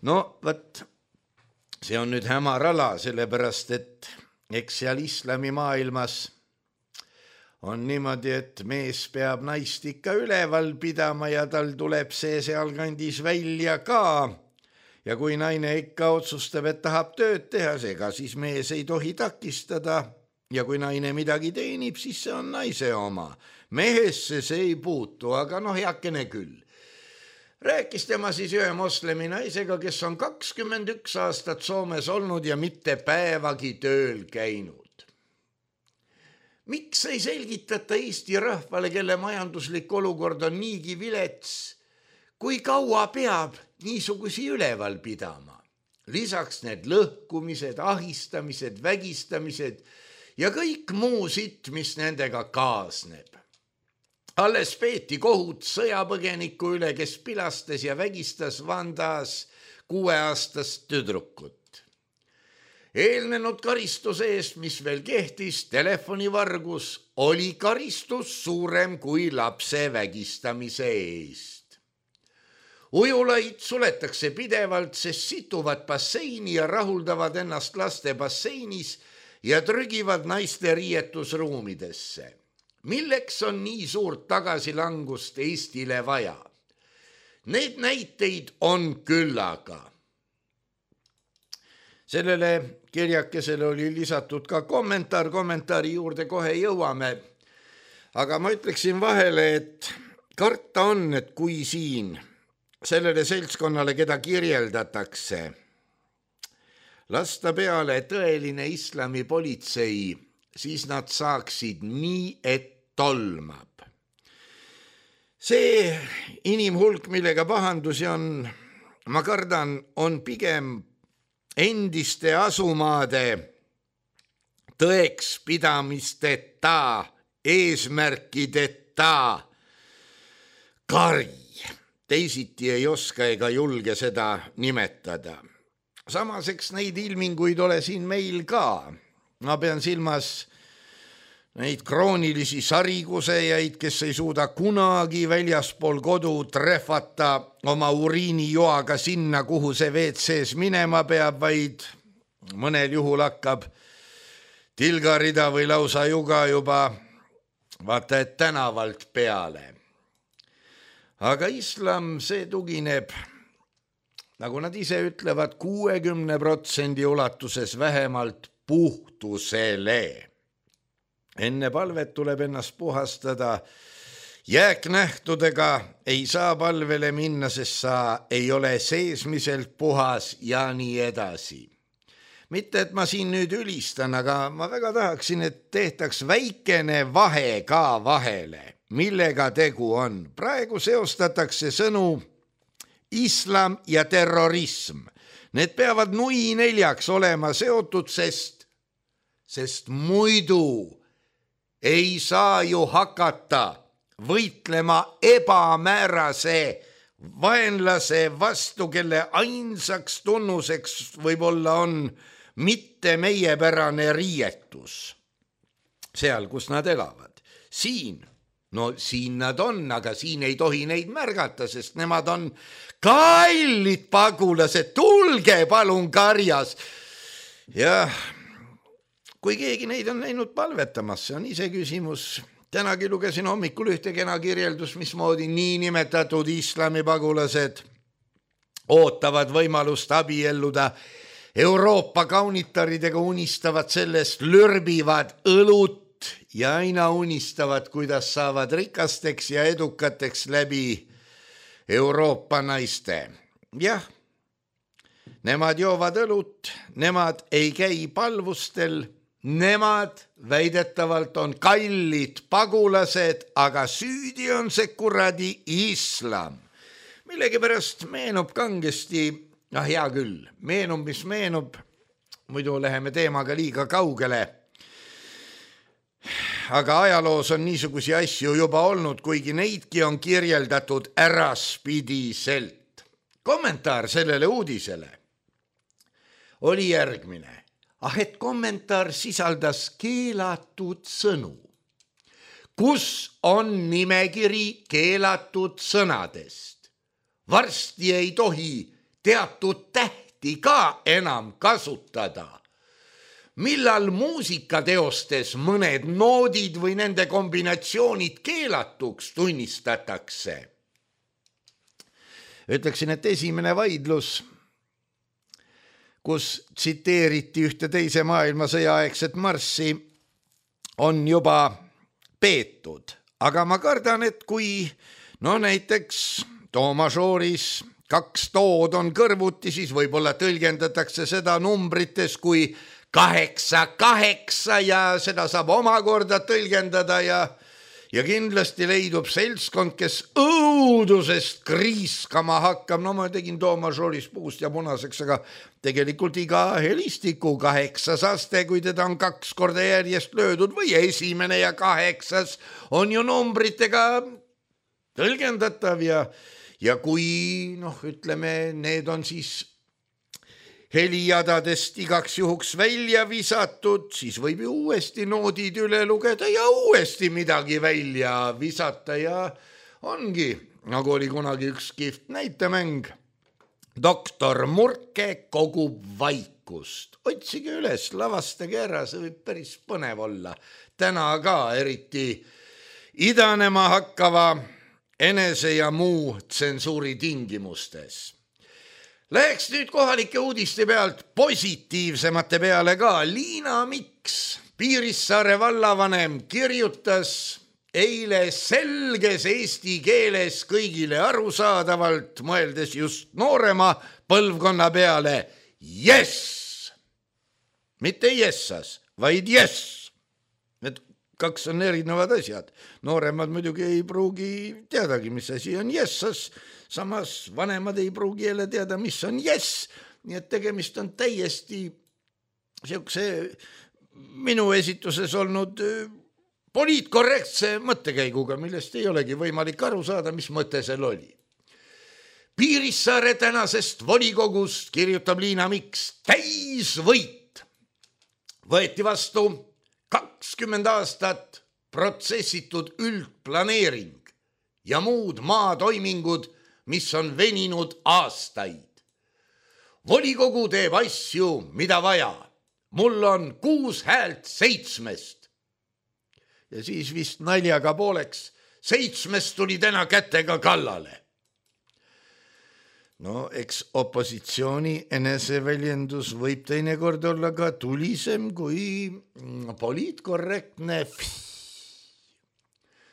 No, võt, see on nüüd hämar ala, sellepärast, et eks seal islami maailmas on niimoodi, et mees peab naist ikka üleval pidama ja tal tuleb see sealkandis välja ka. Ja kui naine ikka otsustab, et tahab tööd teha, ega siis mees ei tohi takistada. Ja kui naine midagi teenib, siis see on naise oma. Mehesse see ei puutu, aga noh, heakene küll. Rääkis tema siis ühe moslemi naisega, kes on kakskümmend üks aastat Soomes olnud ja mitte päevagi tööl käinud. Miks ei selgitata Eesti rahvale, kelle majanduslik olukord on niigi vilets, kui kaua peab niisugusi üleval pidama? Lisaks need lõhkumised, ahistamised, vägistamised ja kõik muu sitt, mis nendega kaasneb. Alles peeti kohut sõjapõgeniku üle, kes pilastas ja vägistas Vandas kuueaastast tüdrukut. Eelnenud karistuse eest, mis veel kehtis, telefonivargus, oli karistus suurem kui lapse vägistamise eest. Ujulaid suletakse pidevalt, sest situvad basseini ja rahuldavad ennast laste basseinis ja trügivad naiste riietusruumidesse. Milleks on nii suurt tagasilangust Eestile vaja? Need näiteid on küllaga. Sellele kirjakesele oli lisatud ka kommentaar, kommentaari juurde kohe jõuame. Aga ma ütleksin vahele, et karta on, et kui siin sellele seltskonnale, keda kirjeldatakse, lasta peale tõeline islami politsei, siis nad saaksid nii, et tolmab. See inimhulk, millega pahandusi on, ma kardan, on pigem endiste asumaade tõeks pidamisteta, eesmärkideta kari. Teisiti ei oska ega julge seda nimetada. Samaseks neid ilminguid ole siin meil ka. Ma pean silmas neid kroonilisi sarigusejaid, kes ei suuda kunagi väljaspool kodu trehvata oma uriinijoaga sinna, kuhu see V C-s minema peab, vaid mõnel juhul hakkab tilgarida või lausa juga juba vaata et tänavalt peale. Aga islam, see tugineb, nagu nad ise ütlevad, kuuekümne protsendi ulatuses vähemalt puhtusele. Enne palvet tuleb ennast puhastada. Jääknähtudega ei saa palvele minna, sest sa ei ole seesmiselt puhas ja nii edasi. Mitte, et ma siin nüüd ülistan, aga ma väga tahaksin, et tehtaks väikene vahe ka vahele, millega tegu on. Praegu seostatakse sõnu islam ja terrorism. Need peavad nui neljaks olema seotud, sest, sest muidu ei saa ju hakata võitlema ebamäärase vaenlase vastu, kelle ainsaks tunnuseks võib-olla on mitte meiepärane riietus seal, kus nad elavad. Siin, no siin nad on, aga siin ei tohi neid märgata, sest nemad on kallid pagulased, tulge palun karjas. Ja kui keegi neid on näinud palvetamas, see on ise küsimus. Tänagi lugesin hommikul ühte kena kirjeldus, mismoodi niinimetatud islami pagulased ootavad võimalust abielluda Euroopa kaunitaridega, unistavad sellest, lürbivad õlut ja aina unistavad, kuidas saavad rikasteks ja edukateks läbi Euroopa naiste. Jah, nemad joovad õlut, nemad ei käi palvustel, nemad väidetavalt on kallid pagulased, aga süüdi on see kuradi islam. Millegipärast meenub kangesti, ah hea küll, meenub, mis meenub, muidu läheme teemaga liiga kaugele. Aga ajaloos on niisugusi asju juba olnud, kuigi neidki on kirjeldatud äraspidiselt. Kommentaar sellele uudisele oli järgmine. Ah, et kommentaar sisaldas keelatud sõnu. Kus on nimekiri keelatud sõnadest? Varsti ei tohi teatud tähti ka enam kasutada. Millal muusikateostes mõned noodid või nende kombinatsioonid keelatuks tunnistatakse? Ütleksin, et esimene vaidlus, kus tsiteeriti ühte teise maailmasõja aegset marssi, on juba peetud. Aga ma kardan, et kui no näiteks do majooris kaks tood on kõrvuti, siis võib-olla tõlgendatakse seda numbrites kui kaheksa, kaheksa ja seda saab omakorda tõlgendada ja, ja kindlasti leidub seltskond, kes õudusest kriiskama hakkab. No ma tegin do majooris puust ja punaseks, aga tegelikult iga helistiku kaheksas aste, kui teda on kaks korda järjest löödud või esimene ja kaheksas on ju numbritega tõlgendatav ja, ja kui noh, ütleme, need on siis helijadadest igaks juhuks välja visatud, siis võib ju uuesti noodid üle lugeda ja uuesti midagi välja visata ja ongi, nagu oli kunagi üks kihvt näitemäng. Doktor Murke kogub vaikust. Otsige üles, lavastage ära, see võib päris põnev olla. Täna ka eriti idanema hakkava enese ja muu tsensuuri tingimustes. Läheks nüüd kohalike uudiste pealt positiivsemate peale ka. Liina Miks, Piirissaare vallavanem, kirjutas eile selges eesti keeles kõigile arusaadavalt, mõeldes just noorema põlvkonna peale, jess! Mitte jessas, vaid jess! Need kaks on erinevad asjad. Nooremad muidugi ei pruugi teadagi, mis asi on jessas, samas vanemad ei pruugi jälle teada, mis on jess, nii et tegemist on täiesti siukse minu esituses olnud poliitkorrektse mõttekäiguga, millest ei olegi võimalik aru saada, mis mõte seal oli. Piirissaare tänasest volikogust, kirjutab Liina Miks, täisvõit. Võeti vastu kakskümmend aastat protsessitud üldplaneering ja muud maatoimingud, mis on veninud aastaid. Volikogu teeb asju, mida vaja. Mul on kuus häält seitsmest. Ja siis vist naljaga pooleks, seitsmest tuli täna kätega kallale. No, eks opositsiooni eneseväljendus võib teinekord olla ka tulisem kui poliitkorrektne.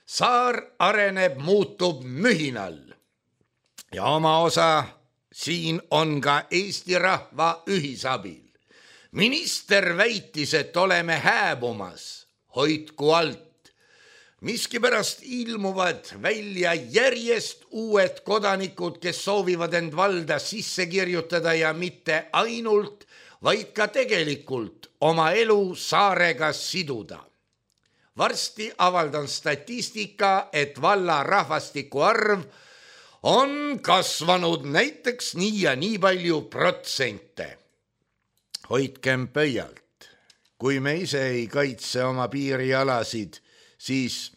Saar areneb, muutub mühinal. Ja oma osa siin on ka Eesti rahva ühisabil. Minister väitis, et oleme hääbumas, hoidku alt. Miskipärast ilmuvad välja järjest uued kodanikud, kes soovivad end valda sisse kirjutada ja mitte ainult, vaid ka tegelikult oma elu saarega siduda. Varsti avaldan statistika, et valla rahvastiku arv on kasvanud näiteks nii ja nii palju protsente. Hoidkem pöialt. Kui me ise ei kaitse oma piirialasid, siis,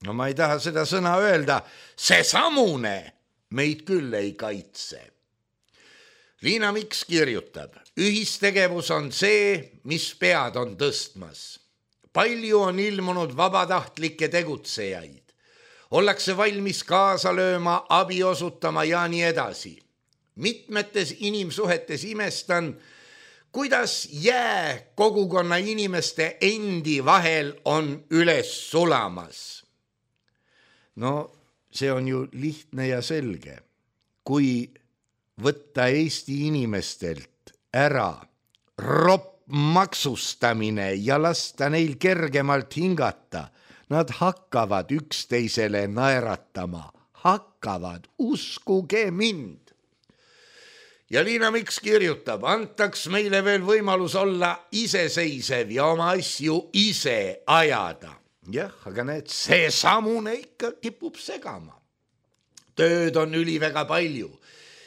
no ma ei taha seda sõna öelda, see samune meid küll ei kaitse. Liina Miks kirjutab, ühistegevus on see, mis pead on tõstmas. Palju on ilmunud vabatahtlikke tegutsejaid. Ollakse valmis kaasa lööma, abi osutama ja nii edasi. Mitmetes inimsuhetes imestan, kuidas jää kogukonna inimeste endi vahel on üles sulamas. No see on ju lihtne ja selge. Kui võtta Eesti inimestelt ära ropp maksustamine ja lasta neil kergemalt hingata, nad hakkavad üksteisele naeratama, hakkavad, uskuge mind. Ja Liina Miks kirjutab, antaks meile veel võimalus olla iseseisev ja oma asju ise ajada. Jah, aga need, see samune ikka kipub segama. Tööd on üliväga palju.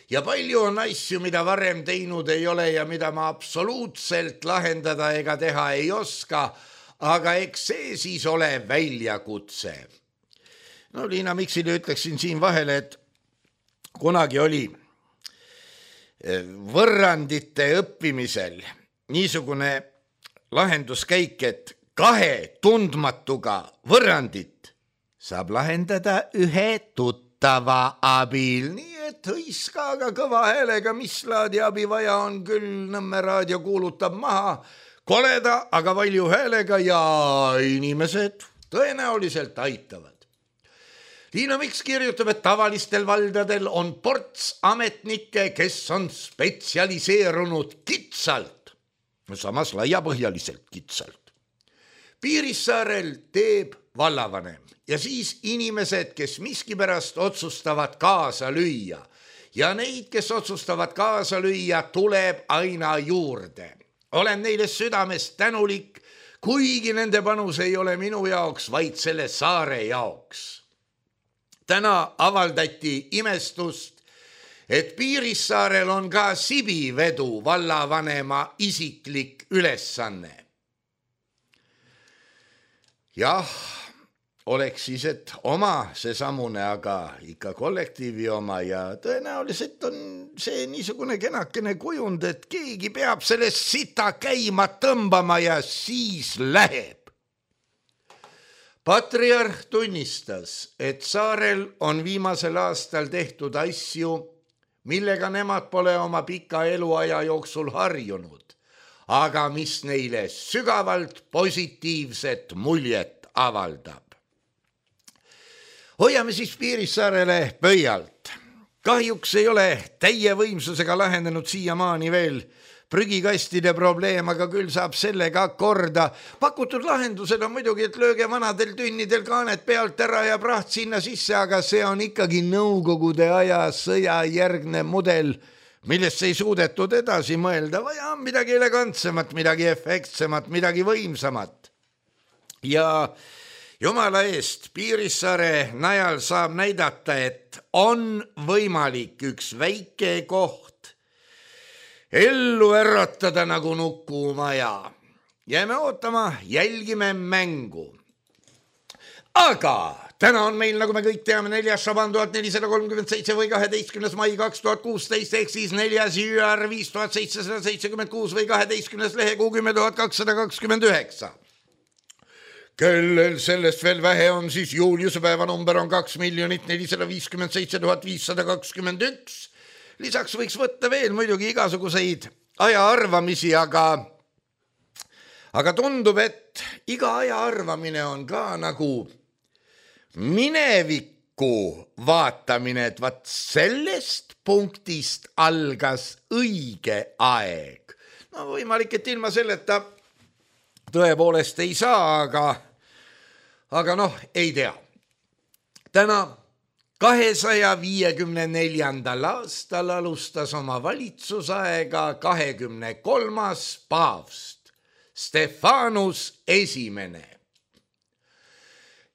Ja palju on asju, mida varem teinud ei ole ja mida ma absoluutselt lahendada ega teha ei oska, aga eks see siis ole väljakutse. No Liina Miksile ütleksin siin vahele, et kunagi oli võrrandite õppimisel niisugune lahenduskäik, et kahe tundmatuga võrrandit saab lahendada ühe tuttava abil, nii et hõiska aga kõva häälega, mis laadi abi vaja on, küll Nõmme raadio kuulutab maha koleda, aga valju häälega ja inimesed tõenäoliselt aitavad. Liina Miks kirjutab, et tavalistel valdadel on ports ametnikke, kes on spetsialiseerunud kitsalt, samas laiapõhjaliselt kitsalt. Piirissaarel teeb vallavanem ja siis inimesed, kes miskipärast otsustavad kaasa lüüa ja neid, kes otsustavad kaasa lüüa, tuleb aina juurde. Olen neile südamest tänulik, kuigi nende panus ei ole minu jaoks, vaid selle saare jaoks. Täna avaldati imestust, et Piirissaarel on ka Sibivedu vallavanema isiklik ülesanne. Jah, oleks siis, et oma see samune, aga ikka kollektiivi oma ja tõenäoliselt on see niisugune kenakene kujund, et keegi peab sellest sita käima tõmbama ja siis läheb. Patriarh tunnistas, et saarel on viimasel aastal tehtud asju, millega nemad pole oma pika eluaja jooksul harjunud, aga mis neile sügavalt positiivset muljet avaldab. Hoiame siis Piirissaarele pöialt. Kahjuks ei ole täie võimsusega lahendanud siiamaani veel prügikastide probleem, aga küll saab sellega korda. Pakutud lahendused on muidugi, et lööge vanadel tünnidel kaanet pealt ära ja praht sinna sisse, aga see on ikkagi nõukogude aja sõjajärgne mudel, millest ei suudetud edasi mõelda. Vaja on midagi elegantsemat, midagi efektsemat, midagi võimsamat. Ja jumala eest, Piirissaare najal saab näidata, et on võimalik üks väike koht ellu äratada nagu Nukumaja. Jääme ootama, jälgime mängu. Aga täna on meil, nagu me kõik teame, neljas Šaban tuhat nelisada kolmkümmend seitse või kaheteistkümnes mai kaks tuhat kuusteist, ehk siis neljas Jüar viis tuhat seitsesada seitsekümmend kuus või kaheteistkümnes lehekuu kümme tuhat kakssada kakskümmend üheksa. Kellel sellest veel vähe on, siis Juliuse päeva number on kaks miljonit nelisada viiskümmend seitse tuhat viissada kakskümmend üks. Lisaks võiks võtta veel muidugi igasuguseid aja arvamisi, aga, aga tundub, et iga aja arvamine on ka nagu minevikku vaatamine, et vaat sellest punktist algas õige aeg. No võimalik, et ilma selleta tõepoolest ei saa, aga, aga noh, ei tea. Täna kahesaja viiekümne neljandal aastal alustas oma valitsusaega kahekümne kolmas paavst Stefanus esimene.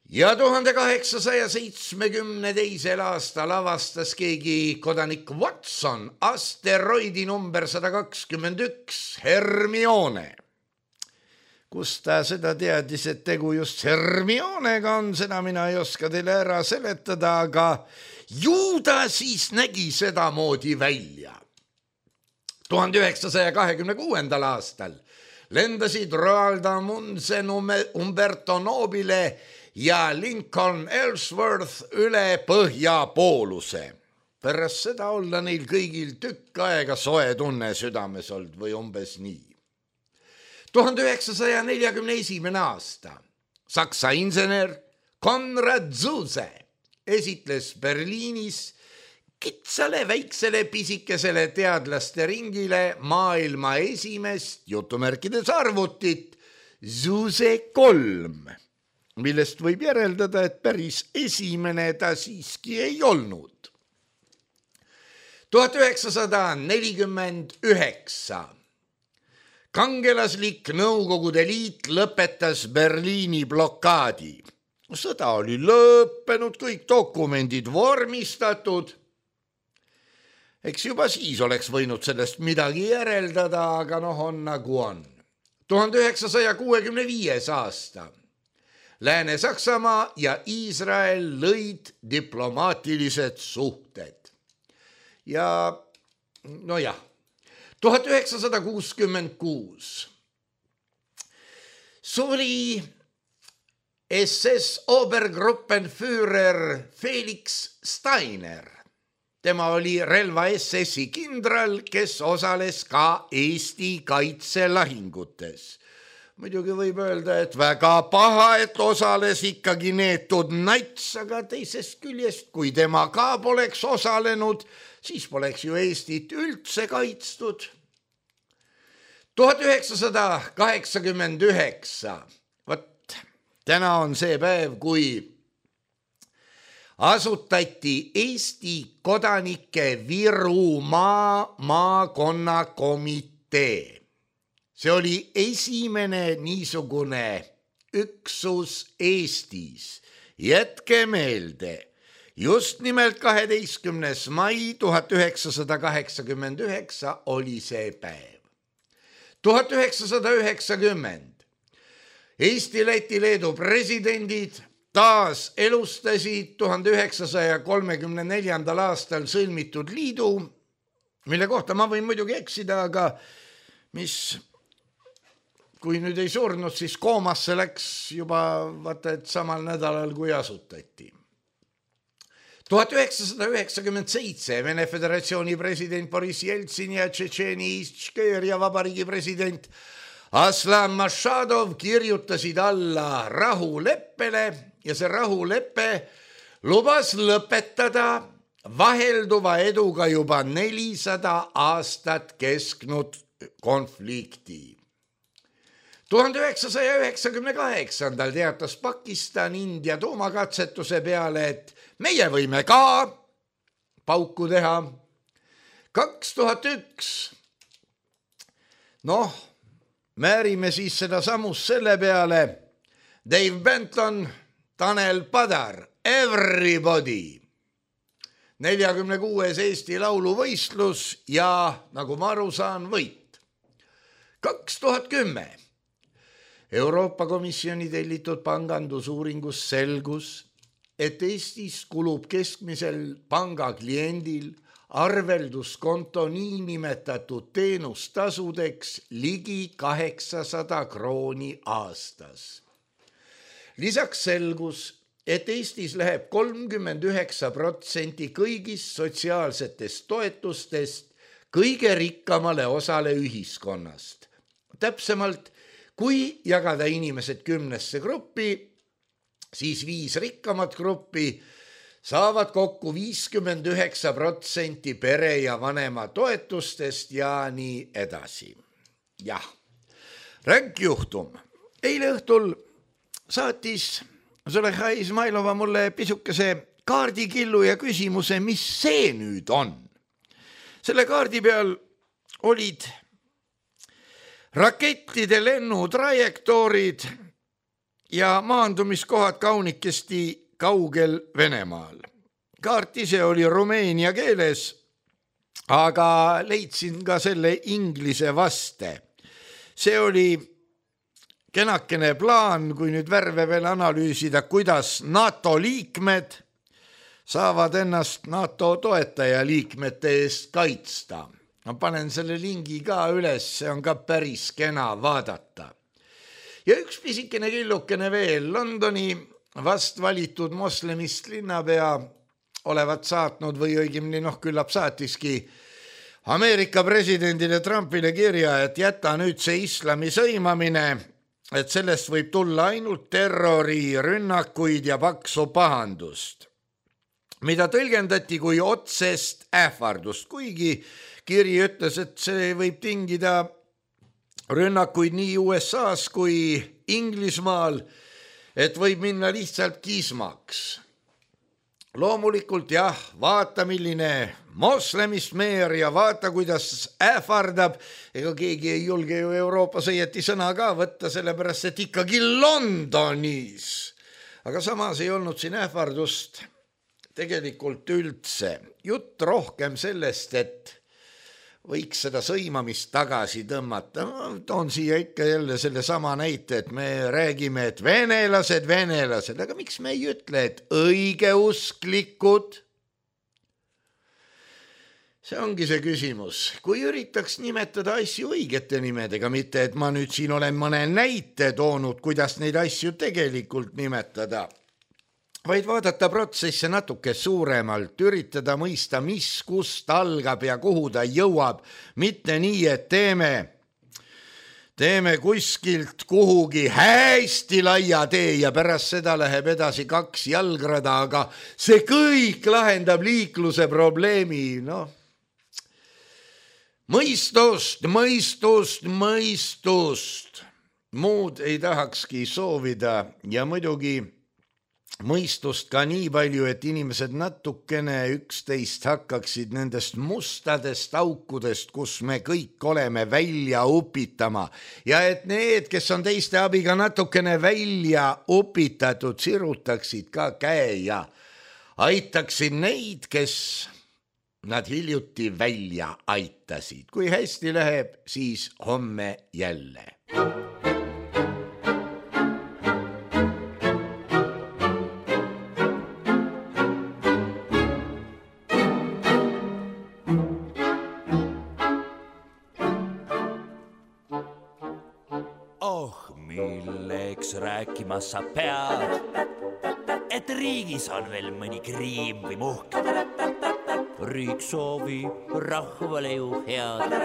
Ja tuhande kaheksasaja seitsmekümne teisel aastal avastas keegi kodanik Watson asteroidi number sada kakskümmend üks Hermione. Kus ta seda teadis, et tegu just Hermionega on, seda mina ei oska teile ära seletada, aga ju ta siis nägi seda moodi välja. tuhande üheksasaja kahekümne kuuendal aastal lendasid Roald Amundsen, Umberto Nobile ja Lincoln Ellsworth üle põhjapooluse. Pärast seda olla neil kõigil tükk aega soe tunne südames olnud või umbes nii. tuhande üheksasaja neljakümne esimene aasta Saksa insener Konrad Zuse esitles Berliinis kitsale väiksele pisikesele teadlaste ringile maailma esimest jutumärkides arvutit Zuse kolm, millest võib järeldada, et päris esimene ta siiski ei olnud. tuhat üheksasada nelikümmend üheksa kangelaslik Nõukogude Liit lõpetas Berliini blokaadi. Sõda oli lõppenud, kõik dokumendid vormistatud. Eks juba siis oleks võinud sellest midagi järeldada, aga noh on nagu on. tuhande üheksasaja kuuekümne viies aasta Lääne-Saksamaa ja Iisrael lõid diplomaatilised suhted. Ja nojah, tuhat üheksasada kuuskümmend kuus suri S S Obergruppenführer Felix Steiner. Tema oli relva S S-i kindral, kes osales ka Eesti kaitselahingutes. Muidugi võib öelda, et väga paha, et osales ikkagi neetud nats, aga teisest küljest, kui tema ka poleks osalenud, siis poleks ju Eestit üldse kaitstud. tuhat üheksasada kaheksakümmend üheksa, vot täna on see päev, kui asutati Eesti kodanike Virumaa maakonnakomitee. See oli esimene niisugune üksus Eestis. Jätke meelde, just nimelt kaheteistkümnes mai tuhat üheksasada kaheksakümmend üheksa oli see päev. tuhat üheksasada üheksakümmend Eesti, Läti, Leedu presidendid taas elustasid tuhande üheksasaja kolmekümne neljandal aastal sõlmitud liidu, mille kohta ma võin muidugi eksida, aga mis, kui nüüd ei surnud, siis koomasse läks juba vaata, et samal nädalal, kui asutati. tuhat üheksasada üheksakümmend seitse Vene Föderatsiooni president Boris Jeltsin ja Tšetšeeni Ištškeeria vabariigi president Aslan Mašadov kirjutasid alla rahuleppele ja see rahulepe lubas lõpetada vahelduva eduga juba nelisada aastat kestnud konflikti. tuhande üheksasaja üheksakümne kaheksandal teatas Pakistan India tuumakatsetuse peale, et meie võime ka pauku teha. kaks tuhat üks noh, määrime siis seda sammust selle peale. Dave Benton, Tanel Padar, Everybody. neljakümne kuues Eesti lauluvõistlus ja nagu ma aru saan, võit. kaks tuhat kümme Euroopa Komisjoni tellitud pangandusuuringus selgus, et Eestis kulub keskmisel panga kliendil arvelduskonto niinimetatud teenustasudeks ligi kaheksasada krooni aastas. Lisaks selgus, et Eestis läheb kolmkümmend üheksa protsenti kõigist sotsiaalsetest toetustest kõige rikkamale osale ühiskonnast. Täpsemalt, kui jagada inimesed kümnesse gruppi, siis viis rikkamat gruppi saavad kokku viiskümmend üheksa protsenti pere ja vanema toetustest ja nii edasi. Jah, ränk juhtum. Eile õhtul saatis Züleyxa Izmailova mulle pisukese kaardikillu ja küsimuse, mis see nüüd on. Selle kaardi peal olid rakettide lennutrajektoorid ja maandumiskohad kaunikesti kaugel Venemaal. Kaart ise oli rumeenia keeles, aga leidsin ka selle inglise vaste. See oli kenakene plaan, kui nüüd värve veel analüüsida, kuidas NATO liikmed saavad ennast NATO toetaja liikmete eest kaitsta. Ma panen selle lingi ka üles, see on ka päris kena vaadata. Ja üks pisikene killukene veel, Londoni vast valitud moslemist linnapea olevat saatnud või õigemini noh, küllap saatiski Ameerika presidendile Trumpile kirja, et jäta nüüd see islami sõimamine, et sellest võib tulla ainult terrori, rünnakuid ja paksu pahandust, mida tõlgendati kui otsest ähvardust, kuigi kiri ütles, et see võib tingida rünnakuid nii U S A-s kui Inglismaal, et võib minna lihtsalt kismaks. Loomulikult jah, vaata milline moslemist meer ja vaata kuidas ähvardab, ega keegi ei julge ju Euroopas õieti sõna ka võtta, sellepärast et ikkagi Londonis. Aga samas ei olnud siin ähvardust tegelikult üldse. Jutt rohkem sellest, et võiks seda sõimamist tagasi tõmmata. Toon siia ikka jälle selle sama näite, et me räägime, et venelased, venelased, aga miks me ei ütle, et õigeusklikud? See ongi see küsimus. Kui üritaks nimetada asju õigete nimedega, mitte et ma nüüd siin olen mõne näite toonud, kuidas neid asju tegelikult nimetada, vaid vaadata protsesse natuke suuremalt, üritada mõista, mis kust algab ja kuhu ta jõuab, mitte nii, et teeme, teeme kuskilt kuhugi hästi laia tee ja pärast seda läheb edasi kaks jalgrada, aga see kõik lahendab liikluse probleemi, noh. Mõistust, mõistust, mõistust. Muud ei tahakski soovida ja muidugi mõistust ka nii palju, et inimesed natukene üksteist hakkaksid nendest mustadest aukudest, kus me kõik oleme, välja upitama. Ja et need, kes on teiste abiga natukene välja upitatud, sirutaksid ka käe ja aitaksid neid, kes nad hiljuti välja aitasid. Kui hästi läheb, siis homme jälle. Rääkimas sa pead, et riigis on veel mõni kriim või muhk. Riik soovib rahvale ju head,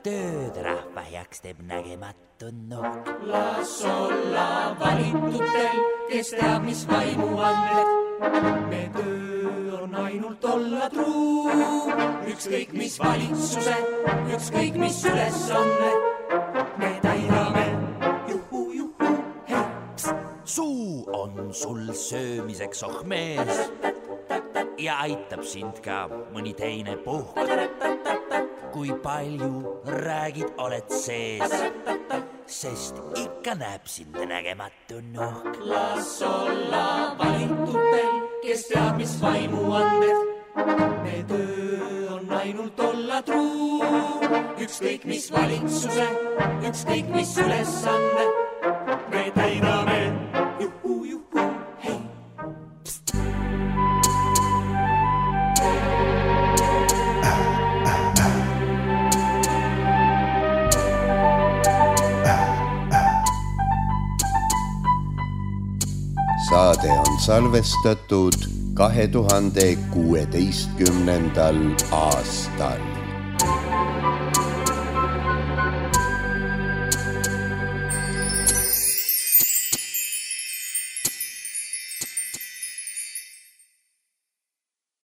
tööd rahva heaks teeb nägematu nokk. Las olla valitutel, kes teab, mis vaimu andmed. Me töö on ainult olla truu, ükskõik mis valitsuse, ükskõik mis ülesanne. Me täidame suu on sul söömiseks oh mees ja aitab sind ka mõni teine puhk. Kui palju räägid, oled sees, sest ikka näeb sind nägematu nuhk. Las olla valitutel, kes teab, mis vaimu andmed. Me töö on ainult olla truu, ükskõik mis valitsuse, ükskõik mis ülesanne. Me täidame Saade on salvestatud kahe tuhande kuueteistkümnendal aastal.